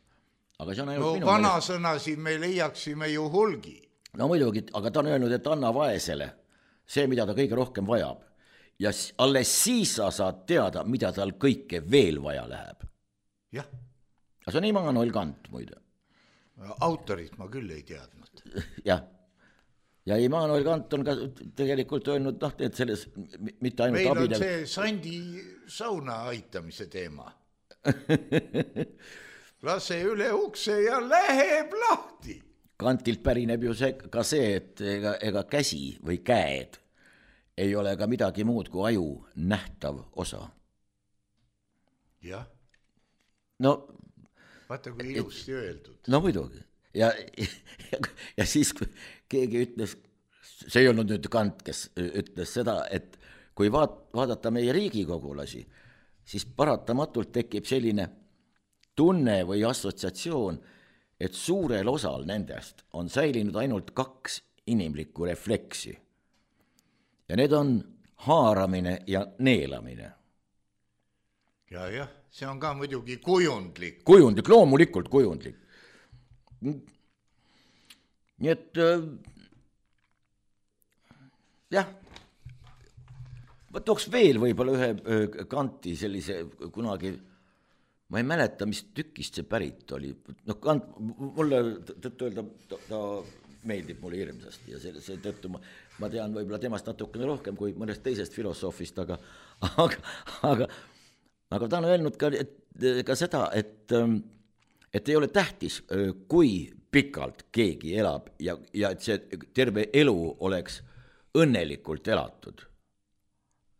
[SPEAKER 4] Aga see on ainult
[SPEAKER 3] no
[SPEAKER 4] minu
[SPEAKER 3] vanasõnasi me leiaksime ju hulgi.
[SPEAKER 4] No muidugi, aga ta on öelnud, et anna vaesele see, mida ta kõige rohkem vajab. Ja alles siis sa saad teada, mida tal kõike veel vaja läheb.
[SPEAKER 3] Jah.
[SPEAKER 4] Aga see on Immanuel Kant, muide.
[SPEAKER 3] Autorit ma küll ei teadnud.
[SPEAKER 4] Jah. ja Immanuel Kant on ka tegelikult öelnud, noh, et selles mitte ainult
[SPEAKER 3] meil
[SPEAKER 4] abidel...
[SPEAKER 3] on see Sandi sauna aitamise teema. Lase üle ukse ja läheb lahti.
[SPEAKER 4] Kantilt pärineb ju see, ka see, et ega, ega käsi või käed ei ole ka midagi muud kui aju nähtav osa.
[SPEAKER 3] Jah.
[SPEAKER 4] No,
[SPEAKER 3] vaata, kui ilusti et, öeldud.
[SPEAKER 4] No muidugi. Ja, ja, ja siis kui keegi ütles, see ei olnud nüüd Kant, kes ütles seda, et kui vaat, vaadata meie riigikogulasi, siis paratamatult tekib selline tunne või assotsiatsioon, et suurel osal nendest on säilinud ainult kaks inimlikku refleksi. Ja need on haaramine ja neelamine.
[SPEAKER 3] Ja, jah, see on ka muidugi kujundlik.
[SPEAKER 4] Kujundlik, loomulikult kujundlik. Nii et äh, jah, ma tooks veel võib-olla ühe äh, Kanti sellise kunagi, ma ei mäleta, mis tükist see pärit oli. No Kant, mulle tõttu öelda, ta, ta meeldib mulle hirmsasti ja see, see tõttu ma, ma tean võib-olla temast natukene rohkem kui mõnest teisest filosoofist, aga, aga, aga, aga ta on öelnud ka, et, ka seda, et, et ei ole tähtis, kui pikalt keegi elab ja, ja et see terve elu oleks õnnelikult elatud.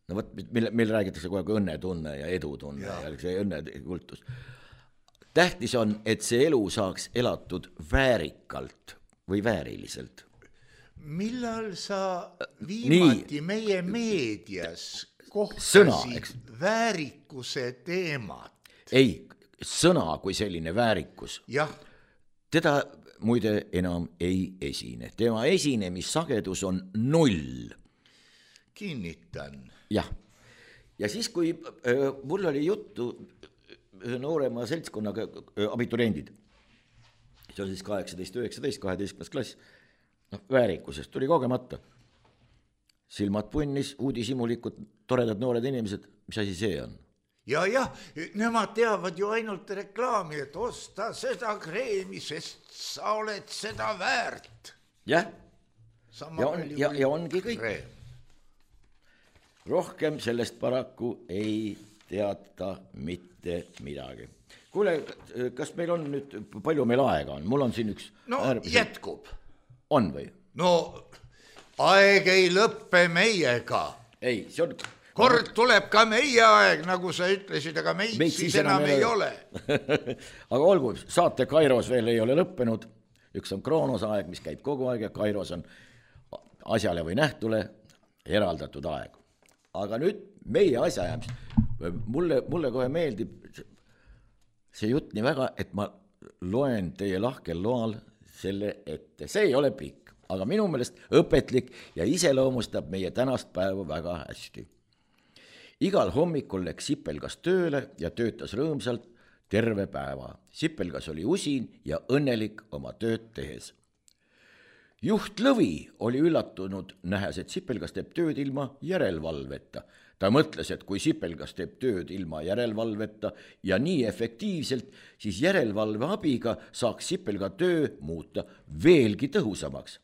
[SPEAKER 4] No võt, meil, meil räägitakse kogu aeg õnnetunne ja edutunne ja, ja see õnnekultus. Tähtis on, et see elu saaks elatud väärikalt või vääriliselt.
[SPEAKER 3] Millal sa viimati Nii. meie meedias kohtasid Sõna, väärikuse teemat?
[SPEAKER 4] Ei, sõna kui selline väärikus.
[SPEAKER 3] Jah.
[SPEAKER 4] Teda muide enam ei esine. Tema esinemissagedus on null.
[SPEAKER 3] Kinnitan.
[SPEAKER 4] Jah, ja siis kui äh, mul oli juttu ühe noorema seltskonnaga äh, abituriendid, see on siis kaheksateist üheksateist kaheteistkümnes klass, noh, väärikusest tuli kogemata. Silmad punnis, uudishimulikud, toredad noored inimesed, mis asi see on?
[SPEAKER 3] Ja, jah, nemad teavad ju ainult reklaami, et osta seda kreemi, sest sa oled seda väärt.
[SPEAKER 4] Jah, ja, on, ja, ja ongi kõik. Kreem. Rohkem sellest paraku ei teata mitte midagi. Kuule, kas meil on nüüd, palju meil aega on? Mul on siin üks...
[SPEAKER 3] No äärmiselt... jätkub.
[SPEAKER 4] On või?
[SPEAKER 3] No aeg ei lõppe meiega.
[SPEAKER 4] Ei, see on...
[SPEAKER 3] Kord tuleb ka meie aeg, nagu sa ütlesid, aga meid, meid siis enam ei ole.
[SPEAKER 4] Aga olgu, saate Kairos veel ei ole lõppenud. Üks on Kroonos aeg, mis käib kogu aeg ja Kairos on asjale või nähtule eraldatud aeg. Aga nüüd meie asjajäämis, mulle, mulle kohe meeldib see jutt nii väga, et ma loen teie lahkel loal selle ette. See ei ole pikk, aga minu meelest õpetlik ja iseloomustab meie tänast päeva väga hästi. Igal hommikul läks Sipelgas tööle ja töötas rõõmsalt terve päeva. Sipelgas oli usin ja õnnelik oma tööd tehes. Juht Lõvi oli üllatunud, nähes, et Sipelgas teeb tööd ilma järelvalveta. Ta mõtles, et kui Sipelgas teeb tööd ilma järelvalveta ja nii efektiivselt, siis järelvalve abiga saaks Sipelga töö muuta veelgi tõhusamaks.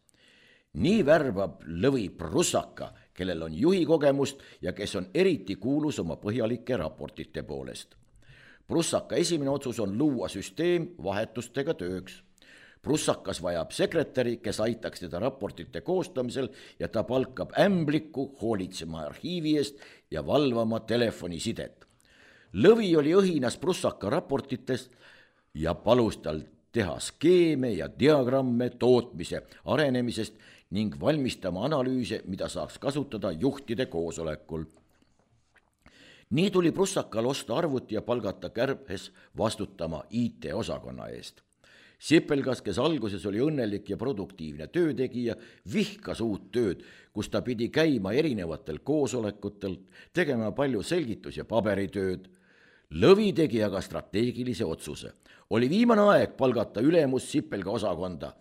[SPEAKER 4] Nii värbab Lõvi Prussaka, kellel on juhi kogemust ja kes on eriti kuulus oma põhjalike raportite poolest. Prussaka esimene otsus on luua süsteem vahetustega tööks. Prussakas vajab sekretäri, kes aitaks teda raportite koostamisel ja ta palkab ämbliku hoolitsema arhiivi eest ja valvama telefonisidet. Lõvi oli õhinas Prussaka raportitest ja palus tal teha skeeme ja diagramme tootmise arenemisest ning valmistama analüüse, mida saaks kasutada juhtide koosolekul. Nii tuli Prussakal osta arvuti ja palgata Kärbhes vastutama I T-osakonna eest. Sipelgas, kes alguses oli õnnelik ja produktiivne töötegija, vihkas uut tööd, kus ta pidi käima erinevatel koosolekutel, tegema palju selgitus- ja paberitööd. Lõvi tegi aga strateegilise otsuse. Oli viimane aeg palgata ülemus Sipelga osakonda.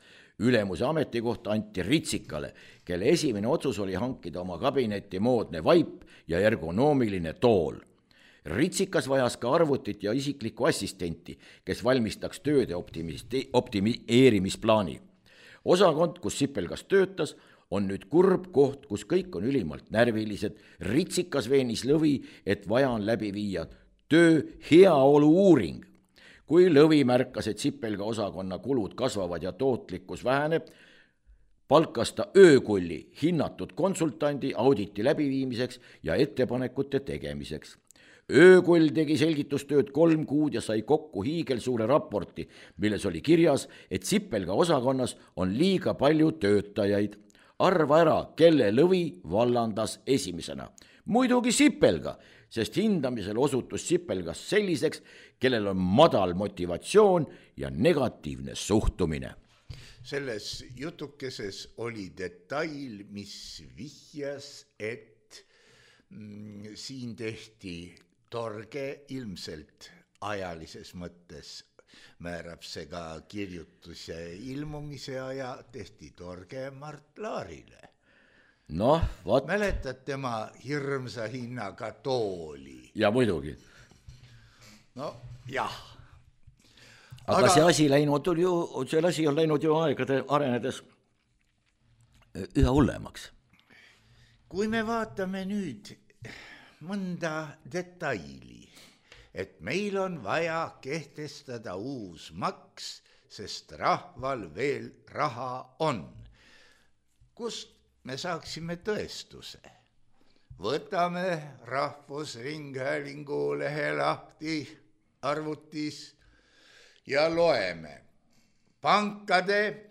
[SPEAKER 4] Ülemuse ametikohta anti Ritsikale, kelle esimene otsus oli hankida oma kabinetti moodne vaip ja ergonoomiline tool. Ritsikas vajas ka arvutit ja isiklikku assistenti, kes valmistaks tööde optimeerimisplaani. Osakond, kus Sipelgas töötas, on nüüd kurb koht, kus kõik on ülimalt närvilised, ritsikas veenis Lõvi, et vaja on läbi viia töö heaolu uuring. Kui Lõvi märkas, et Sipelga osakonna kulud kasvavad ja tootlikkus väheneb, palkas ta öökulli hinnatud konsultandi auditi läbiviimiseks ja ettepanekute tegemiseks. Öökull tegi selgitustööd kolm kuud ja sai kokku hiigelsuure raporti, milles oli kirjas, et Sipelga osakonnas on liiga palju töötajaid. Arva ära, kelle Lõvi vallandas esimesena. Muidugi Sipelga, sest hindamisel osutus Sipelgas selliseks, kellel on madal motivatsioon ja negatiivne suhtumine.
[SPEAKER 3] Selles jutukeses oli detail, mis vihjas, et mm, siin tehti torge ilmselt ajalises mõttes, määrab see ka kirjutuse ilmumise aja, tehti torge Mart Laarile.
[SPEAKER 4] Noh, vaat.
[SPEAKER 3] Mäletad tema hirmsa hinnaga tooli?
[SPEAKER 4] Ja muidugi.
[SPEAKER 3] No jah.
[SPEAKER 4] Aga, aga see asi läinud ju, see asi on läinud ju aegade arenedes üha hullemaks.
[SPEAKER 3] Kui me vaatame nüüd mõnda detaili, et meil on vaja kehtestada uus maks, sest rahval veel raha on. Kust me saaksime tõestuse? Võtame Rahvusringhäälingu lehe lahti arvutis ja loeme. Pankade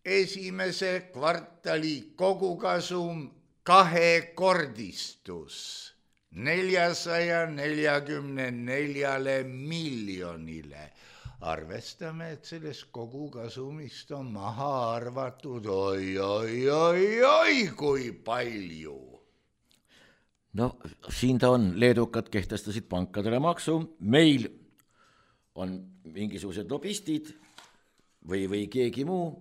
[SPEAKER 3] esimese kvartali kogukasum kahekordistus neljasaja neljakümne neljale miljonile. Arvestame, et sellest kogukasumist on maha arvatud oi, oi, oi, oi, kui palju.
[SPEAKER 4] No siin ta on, leedukad kehtestasid pankadele maksu, meil on mingisugused lobistid või, või keegi muu.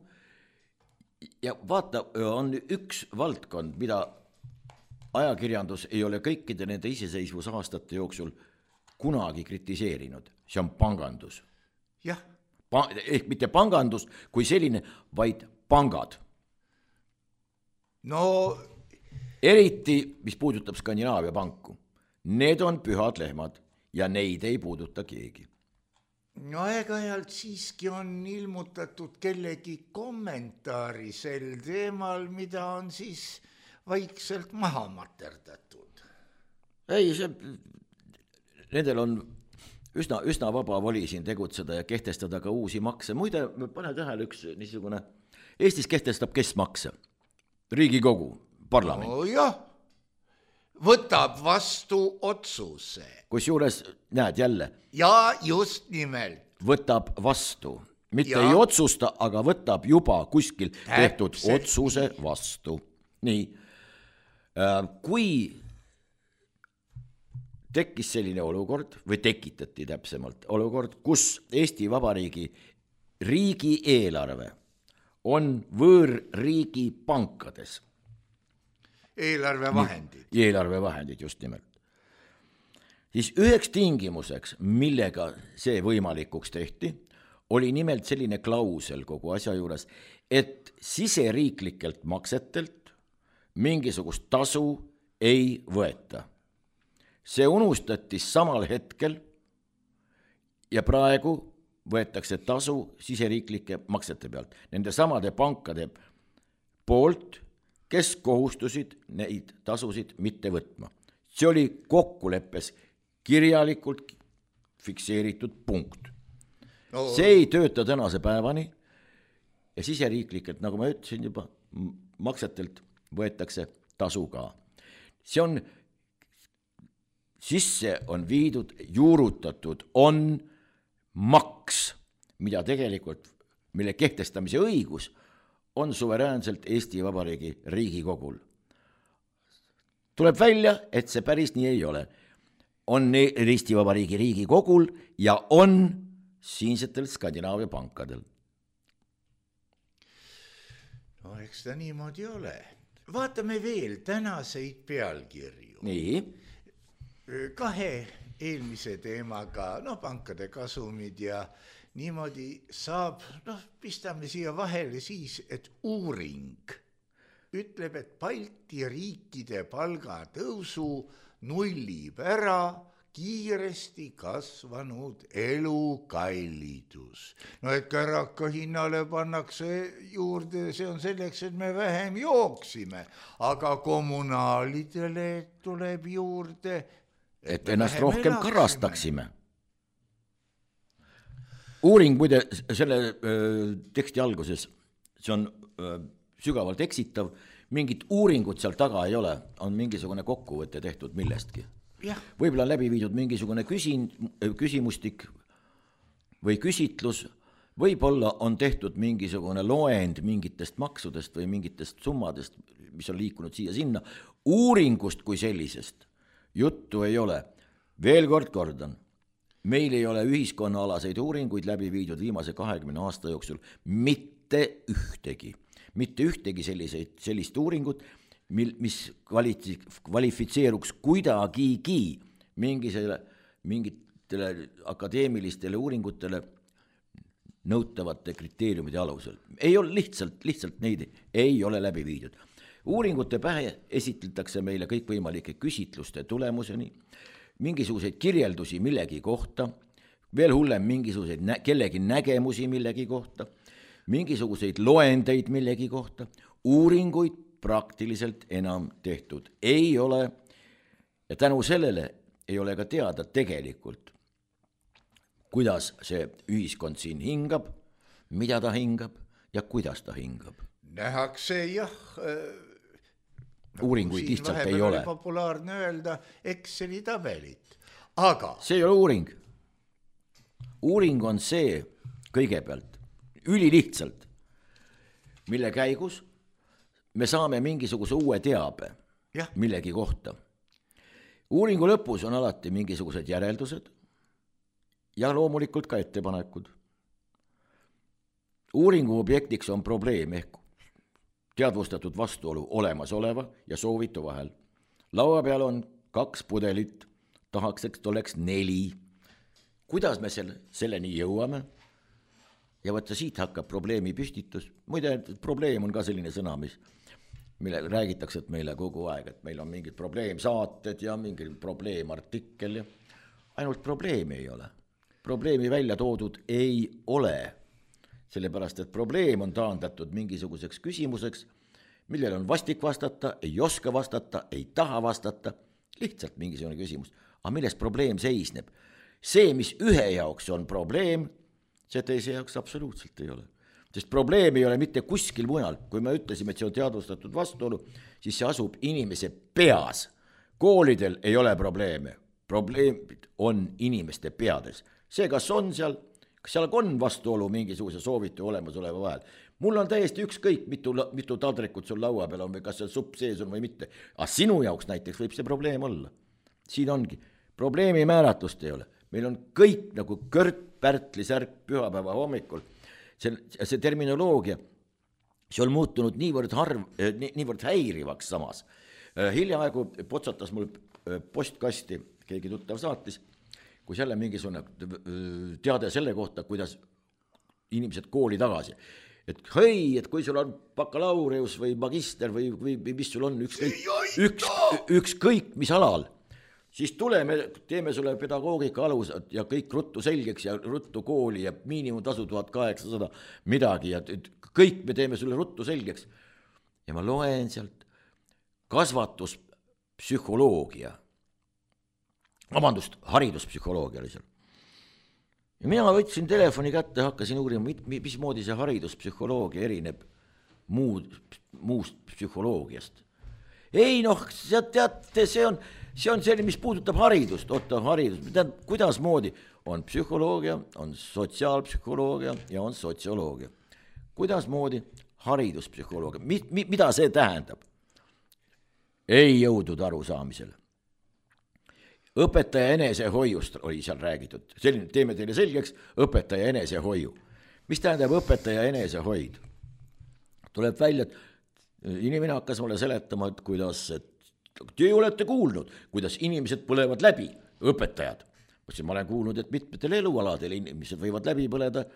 [SPEAKER 4] Ja vaata, on üks valdkond, mida ajakirjandus ei ole kõikide nende iseseisvusaastate jooksul kunagi kritiseerinud. See on pangandus.
[SPEAKER 3] Jah.
[SPEAKER 4] Pa- ehk mitte pangandus kui selline, vaid pangad.
[SPEAKER 3] No
[SPEAKER 4] eriti, mis puudutab Skandinaavia panku. Need on pühad lehmad ja neid ei puuduta keegi.
[SPEAKER 3] No aeg-ajalt siiski on ilmutatud kellegi kommentaari sel teemal, mida on siis vaikselt maha materdatud.
[SPEAKER 4] Ei, see, nendel on üsna, üsna vaba voli siin tegutseda ja kehtestada ka uusi makse. Muide, pane tähele üks niisugune, Eestis kehtestab kes makse? Riigikogu, parlament.
[SPEAKER 3] No jah, võtab vastu otsuse.
[SPEAKER 4] Kusjuures, näed jälle.
[SPEAKER 3] Ja just nimelt.
[SPEAKER 4] Võtab vastu. Mitte ja. Ei otsusta, aga võtab juba kuskil tehtud Täpselt. Otsuse vastu. Nii, kui tekkis selline olukord, või tekitati täpsemalt olukord, kus Eesti Vabariigi riigieelarve on võõrriigi pankades.
[SPEAKER 3] Eelarvevahendid.
[SPEAKER 4] Eelarvevahendid, just nimelt. Siis üheks tingimuseks, millega see võimalikuks tehti, oli nimelt selline klausel kogu asja juures, et siseriiklikelt maksetelt mingisugust tasu ei võeta. See unustati samal hetkel ja praegu võetakse tasu siseriiklike maksete pealt. Nende samade pankade poolt, kes kohustusid neid tasusid mitte võtma. See oli kokkuleppes kirjalikult fikseeritud punkt. No. See ei tööta tänase päevani ja siseriiklikelt, nagu ma ütlesin juba, maksetelt võetakse tasu ka. See on, sisse on viidud, juurutatud, on maks, mida tegelikult, mille kehtestamise õigus on suveräänselt Eesti Vabariigi Riigikogul. Tuleb välja, et see päris nii ei ole. On Eesti Vabariigi Riigikogul ja on siinsetel Skandinaavia pankadel.
[SPEAKER 3] No eks ta niimoodi ole. Vaatame veel tänaseid pealkirju.
[SPEAKER 4] Nii.
[SPEAKER 3] Kahe eelmise teemaga, no pankade kasumid ja niimoodi saab, noh, pistame siia vahele siis, et uuring ütleb, et Balti riikide palgatõusu nullib ära kiiresti kasvanud elukallidus. No et käraka hinnale pannakse juurde, see on selleks, et me vähem jooksime, aga kommunaalidele tuleb juurde,
[SPEAKER 4] et, et ennast rohkem elaksime. Karastaksime. Uuring muide selle öö, teksti alguses, see on öö, sügavalt eksitav, mingit uuringut seal taga ei ole, on mingisugune kokkuvõte tehtud millestki. Ja. Võib-olla on läbi viidud mingisugune küsin, küsimustik või küsitlus, võib-olla on tehtud mingisugune loend mingitest maksudest või mingitest summadest, mis on liikunud siia-sinna. Uuringust kui sellisest juttu ei ole. Veel kord kordan, meil ei ole ühiskonnaalaseid uuringuid läbi viidud viimase kahekümne aasta jooksul mitte ühtegi. Mitte ühtegi selliseid, sellist uuringut, mil, mis kvalifitseeruks kuidagigi mingisele, mingitele akadeemilistele uuringutele nõutavate kriteeriumide alusel. Ei ole lihtsalt, lihtsalt neid ei ole läbi viidud. Uuringute pähe esitletakse meile kõikvõimalike küsitluste tulemuseni, mingisuguseid kirjeldusi millegi kohta, veel hullem mingisuguseid nä- kellegi nägemusi millegi kohta, mingisuguseid loendeid millegi kohta, uuringuid praktiliselt enam tehtud ei ole ja tänu sellele ei ole ka teada tegelikult, kuidas see ühiskond siin hingab, mida ta hingab ja kuidas ta hingab.
[SPEAKER 3] Nähakse jah,
[SPEAKER 4] uuringuid lihtsalt ei ole.
[SPEAKER 3] Populaarne öelda Exceli tabelit, aga
[SPEAKER 4] see ei ole uuring. Uuring on see kõigepealt ülilihtsalt, mille käigus me saame mingisuguse uue teabe ja. Millegi kohta. Uuringu lõpus on alati mingisugused järeldused ja loomulikult ka ettepanekud. Uuringu objektiks on probleem ehk teadvustatud vastuolu olemasoleva ja soovitu vahel. Laua peal on kaks pudelit, tahaks, et oleks neli. Kuidas me selle, selleni jõuame? Ja võtta siit hakkab probleemi püstitus. Muide, probleem on ka selline sõna, mis, mille räägitakse et meile kogu aeg, et meil on mingid probleemsaated ja mingi probleemartikkel ja ainult probleemi ei ole. Probleemi välja toodud ei ole, sellepärast et probleem on taandatud mingisuguseks küsimuseks, millel on vastik vastata, ei oska vastata, ei taha vastata, lihtsalt mingisugune küsimus. Aga milles probleem seisneb? See, mis ühe jaoks on probleem, see teise jaoks absoluutselt ei ole. Sest probleem ei ole mitte kuskil mujal. Kui me ütlesime, et see on teadvustatud vastuolu, siis see asub inimese peas. Koolidel ei ole probleeme. Probleemid on inimeste peades. See, kas on seal, kas seal on vastuolu mingisuguse soovitu olemasoleva vahel. Mul on täiesti ükskõik, mitu, mitu taldrikut sul laua peal on või kas seal supp sees on või mitte. Aga sinu jaoks näiteks võib see probleem olla. Siin ongi. Probleemi määratlust ei ole. Meil on kõik nagu Kõrt Pärtli särk pühapäeva hommikul. See, see terminoloogia, see on muutunud niivõrd, harv, nii, niivõrd häirivaks samas. Hiljaaegu potsatas mul postkasti, keegi tuttav saatis, kui jälle mingisugune teade selle kohta, kuidas inimesed kooli tagasi. Et hei, et kui sul on bakalaureus või magister või, või mis sul on ükskõik, üks, ükskõik mis alal, siis tuleme, teeme sulle pedagoogika alused ja kõik ruttu selgeks ja ruttu kooli ja miinimumtasu tuhat kaheksasada midagi ja kõik me teeme sulle ruttu selgeks. Ja ma loen sealt kasvatuspsühholoogia, vabandust, hariduspsühholoogia oli seal. Ja mina võtsin telefoni kätte ja hakkasin uurima, mismoodi see hariduspsühholoogia erineb muud, muust psühholoogiast. Ei noh, teate, see on, see on selline, mis puudutab haridust, oota haridus, kuidas moodi on psühholoogia, on sotsiaalpsühholoogia ja on sotsioloogia. Kuidas moodi hariduspsühholoogia, mi, mi, mida see tähendab? Ei jõudnud arusaamisele. Õpetaja enesehoiust oli seal räägitud, selline, teeme teile selgeks, õpetaja enesehoiu. Mis tähendab õpetaja enesehoid? Tuleb välja, et inimene hakkas mulle seletama, et kuidas, et te olete kuulnud, kuidas inimesed põlevad läbi, õpetajad. Ma olen kuulnud, et mitmetel elualadel inimesed võivad läbi põleda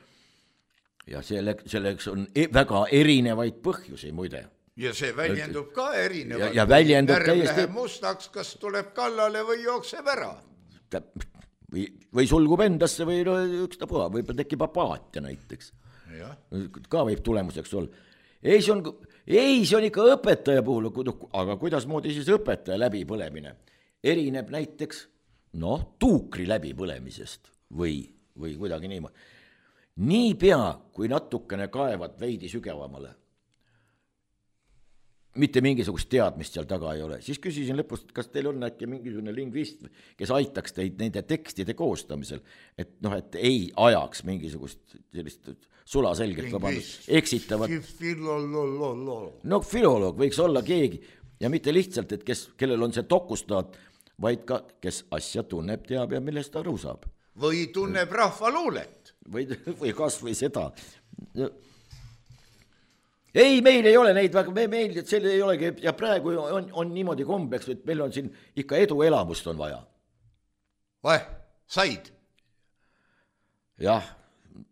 [SPEAKER 4] ja selle, selleks on väga erinevaid põhjusi muide.
[SPEAKER 3] ja see väljendub ka erinevalt.
[SPEAKER 4] Ja, ja väljendub
[SPEAKER 3] närv
[SPEAKER 4] täiesti...
[SPEAKER 3] läheb mustaks, kas tuleb kallale või jookseb ära.
[SPEAKER 4] Või, või sulgub endasse või no, ükstapuha, võib tekib apaatia näiteks.
[SPEAKER 3] Ja.
[SPEAKER 4] Ka võib tulemuseks olla. Ei, see on, ei, see on ikka õpetaja puhul, aga kuidasmoodi siis õpetaja läbipõlemine erineb näiteks noh, tuukri läbipõlemisest või, või kuidagi niimoodi. Nii pea, kui natukene kaevad veidi sügavamale, mitte mingisugust teadmist seal taga ei ole, siis küsisin lõpust, kas teil on äkki mingisugune lingvist, kes aitaks teid nende tekstide koostamisel, et noh, et ei ajaks mingisugust sellist sulaselgelt vabandust, eksitavat. No filoloog võiks olla keegi ja mitte lihtsalt, et kes, kellel on see dokustaat, vaid ka, kes asja tunneb, teab ja millest aru saab.
[SPEAKER 3] Või tunneb rahvaluulet.
[SPEAKER 4] Või, või kas või seda. Ei, meil ei ole neid, me, meil selle ei olegi ja praegu on, on niimoodi kombeks, et meil on siin ikka eduelamust on vaja.
[SPEAKER 3] Vahe, said?
[SPEAKER 4] Jah,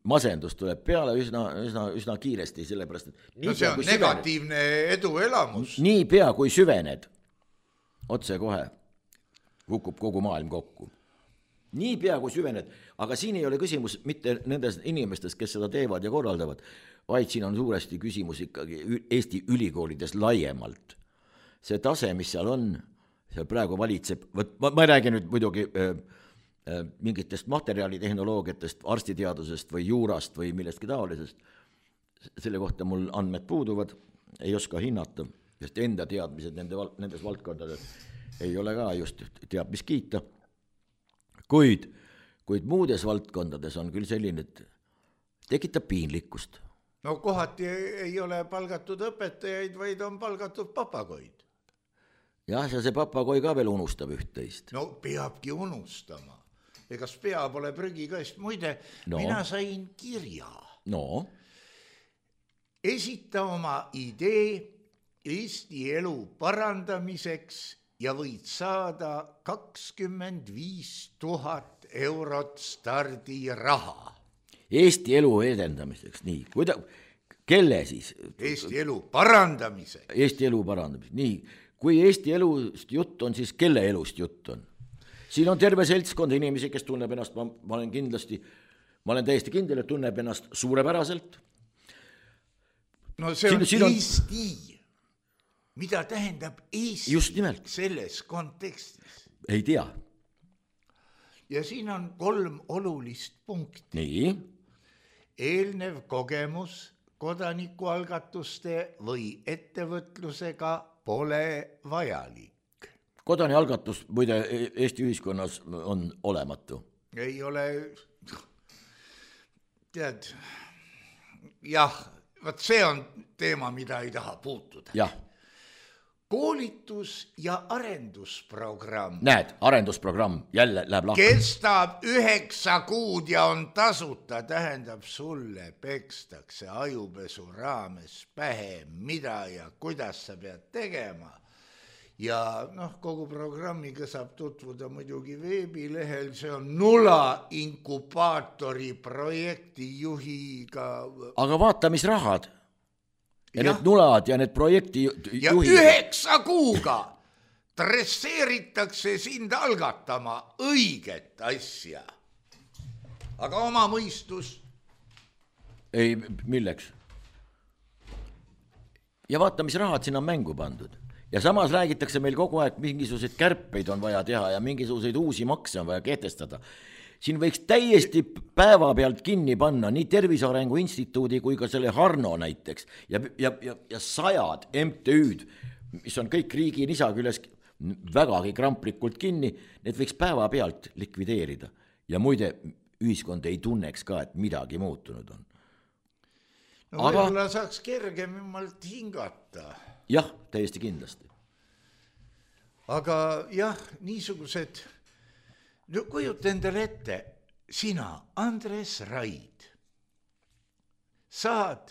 [SPEAKER 4] masendus tuleb peale üsna, üsna, üsna kiiresti, sellepärast, et
[SPEAKER 3] no see on negatiivne süvened, eduelamus.
[SPEAKER 4] Nii pea, kui süvened, otse kohe kukub kogu maailm kokku. Nii pea, kui süvened, aga siin ei ole küsimus mitte nendest inimestest, kes seda teevad ja korraldavad, vaid siin on suuresti küsimus ikkagi Eesti ülikoolides laiemalt. See tase, mis seal on, seal praegu valitseb, võt, ma, ma räägin nüüd muidugi äh, äh, mingitest materjalitehnoloogiatest, arstiteadusest või juurast või millestki taolisest, selle kohta mul andmed puuduvad, ei oska hinnata, sest enda teadmised nende, nendes valdkondades ei ole ka just teab mis kiita, kuid, kuid muudes valdkondades on küll selline, et tekitab piinlikkust.
[SPEAKER 3] No kohati ei ole palgatud õpetajaid, vaid on palgatud papagoid.
[SPEAKER 4] Jah, ja see papagoi ka veel unustab üht-teist.
[SPEAKER 3] No peabki unustama. Egas pea pole prügikast. Muide, no. Mina sain kirja.
[SPEAKER 4] No.
[SPEAKER 3] Esita oma idee Eesti elu parandamiseks ja võid saada kakskümmend viis tuhat eurot stardiraha.
[SPEAKER 4] Eesti elu edendamiseks, nii, kuida, kelle siis?
[SPEAKER 3] Eesti elu parandamiseks.
[SPEAKER 4] Eesti elu parandamiseks, nii, kui Eesti elust jutt on, siis kelle elust jutt on? Siin on terve seltskond inimesi, kes tunneb ennast, ma, ma olen kindlasti, ma olen täiesti kindel, et tunneb ennast suurepäraselt.
[SPEAKER 3] No see on siin, siin Eesti. On... Mida tähendab Eesti
[SPEAKER 4] just nimelt
[SPEAKER 3] selles kontekstis?
[SPEAKER 4] Ei tea.
[SPEAKER 3] Ja siin on kolm olulist punkti.
[SPEAKER 4] Nii.
[SPEAKER 3] Eelnev kogemus kodanikualgatuste või ettevõtlusega pole vajalik.
[SPEAKER 4] Kodanialgatus muide Eesti ühiskonnas on olematu.
[SPEAKER 3] Ei ole, tead, jah, vaat see on teema, mida ei taha puutuda.
[SPEAKER 4] Jah.
[SPEAKER 3] Koolitus- ja arendusprogramm.
[SPEAKER 4] Näed, arendusprogramm jälle läheb lahti.
[SPEAKER 3] Kestab üheksa kuud ja on tasuta, tähendab sulle pekstakse ajupesu raames pähe, mida ja kuidas sa pead tegema. Ja noh, kogu programmiga saab tutvuda muidugi veebilehel, see on Nula inkubaatori projekti juhiga.
[SPEAKER 4] Aga vaata, mis rahad. Ja, ja need nulad ja need projekti juhid.
[SPEAKER 3] Ja üheksa kuuga dresseeritakse sind algatama õiget asja. Aga oma mõistus?
[SPEAKER 4] Ei, milleks? Ja vaata, mis rahad siin on mängu pandud. Ja samas räägitakse meil kogu aeg, mingisuguseid kärpeid on vaja teha ja mingisuguseid uusi makse on vaja kehtestada. Siin võiks täiesti päeva pealt kinni panna nii Tervise Arengu Instituudi kui ka selle Harno näiteks ja, ja, ja, ja sajad M T Ü'd, mis on kõik riigi nisa küljes vägagi kramplikult kinni, need võiks päeva pealt likvideerida. Ja muide, ühiskond ei tunneks ka, et midagi muutunud on.
[SPEAKER 3] No aga... võib-olla saaks kergemalt hingata.
[SPEAKER 4] Jah, täiesti kindlasti.
[SPEAKER 3] Aga jah, niisugused... No kujuta endale ette, sina, Andres Raid, saad,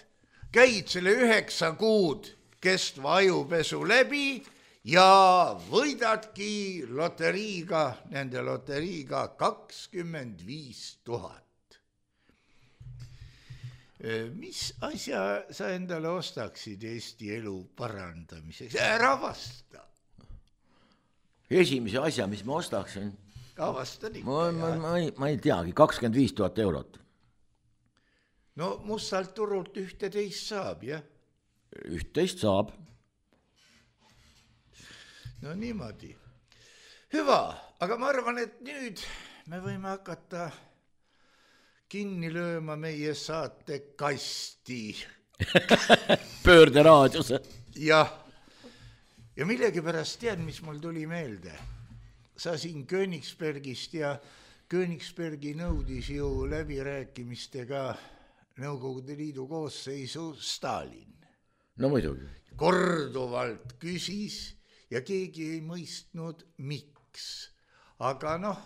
[SPEAKER 3] käid selle üheksa kuud kestva ajupesu läbi ja võidadki loteriiga, nende loteriiga kakskümmend viis tuhat. Mis asja sa endale ostaksid Eesti elu parandamiseks? Ära vasta.
[SPEAKER 4] Esimese asja, mis ma ostaksin?
[SPEAKER 3] Avastad ikka.
[SPEAKER 4] Ma, ma, ma, ei, ma ei teagi, kakskümmend viis tuhat eurot.
[SPEAKER 3] No mustalt turult ühteteist saab, jah?
[SPEAKER 4] Ühteist saab.
[SPEAKER 3] No niimoodi. Hüva, aga ma arvan, et nüüd me võime hakata kinni lööma meie saate kasti.
[SPEAKER 4] Pöörde raadiose.
[SPEAKER 3] Jah. Ja millegipärast tead, mis mul tuli meelde. Sa siin Königsbergist ja Königsbergi nõudis ju läbirääkimistega Nõukogude Liidu koosseisu Stalin.
[SPEAKER 4] No muidugi.
[SPEAKER 3] Korduvalt küsis ja keegi ei mõistnud, miks. Aga noh,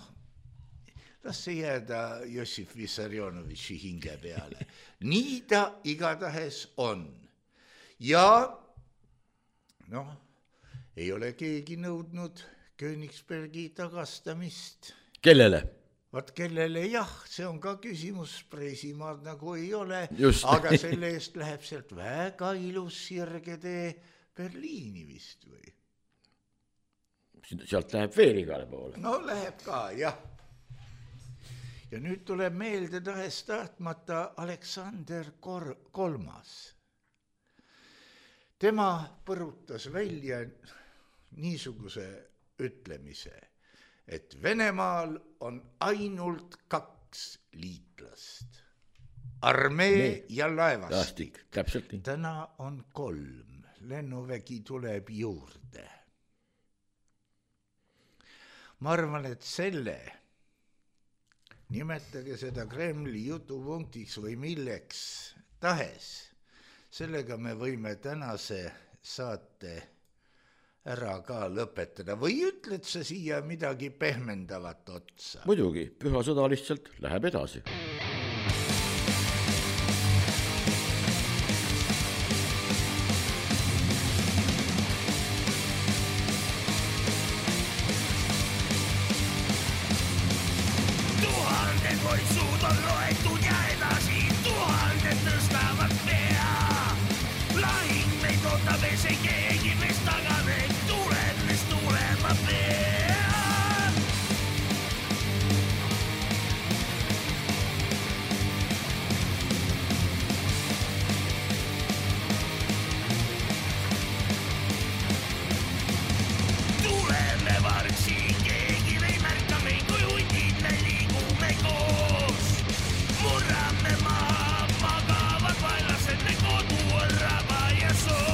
[SPEAKER 3] las see jääda Jossif Vissarionovitši hinge peale. Nii ta igatahes on. Ja noh, ei ole keegi nõudnud Königsbergi tagastamist.
[SPEAKER 4] Kellele?
[SPEAKER 3] Vaat kellele jah, see on ka küsimus, Preisimaad nagu ei ole,
[SPEAKER 4] Just.
[SPEAKER 3] Aga selle eest läheb sealt väga ilus sirgetee Berliini vist või?
[SPEAKER 4] Sealt läheb veel igale poole.
[SPEAKER 3] No läheb ka, jah. Ja nüüd tuleb meelde tahes tahtmata Aleksander Kor- kolmas. Tema põrutas välja niisuguse ütlemise, et Venemaal on ainult kaks liitlast. Armee nee. ja laevastik.
[SPEAKER 4] Täpselt nii.
[SPEAKER 3] Täna on kolm. Lennuvägi tuleb juurde. Ma arvan, et selle, nimetage seda Kremli jutupunktiks või milleks tahes, sellega me võime tänase saate ära ka lõpetada. Või ütled sa siia midagi pehmendavat otsa?
[SPEAKER 4] Muidugi, püha sõda lihtsalt läheb edasi.
[SPEAKER 5] Tuhandet voitsud on loetud ja edasi, tuhandet tõstavad pea. Lahing meid ootab ees ei keegi meist tagane. Tulema peab. Tuleme vargsi, keegi ei märka meid, kui hundid me liigume koos. Murrame maa, magavad vaelased, me kodu on raba ja soo.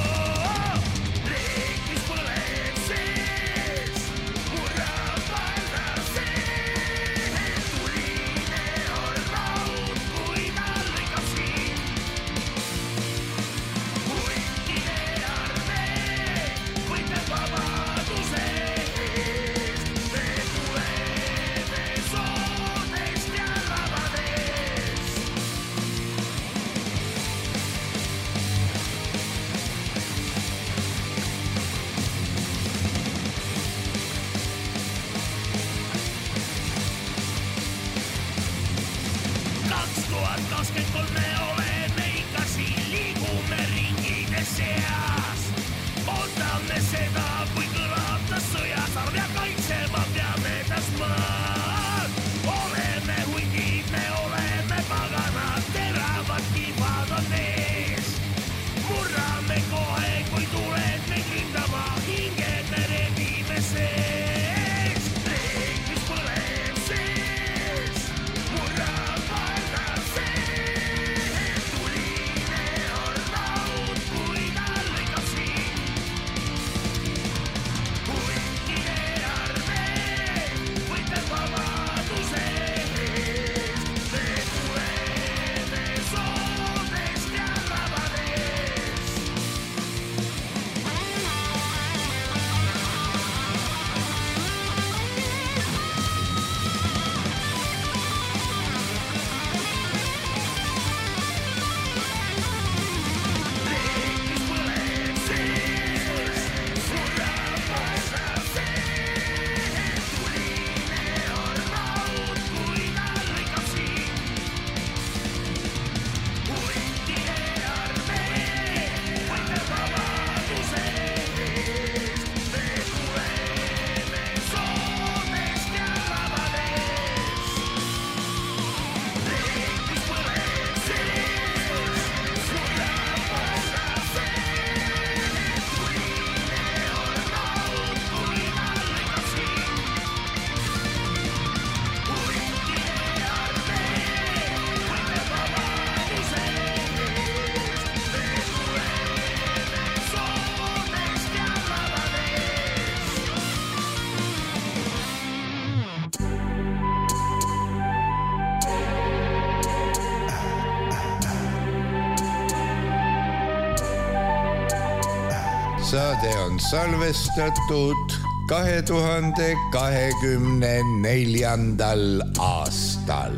[SPEAKER 3] saade on salvestatud kahe tuhande kahekümne neljandal aastal.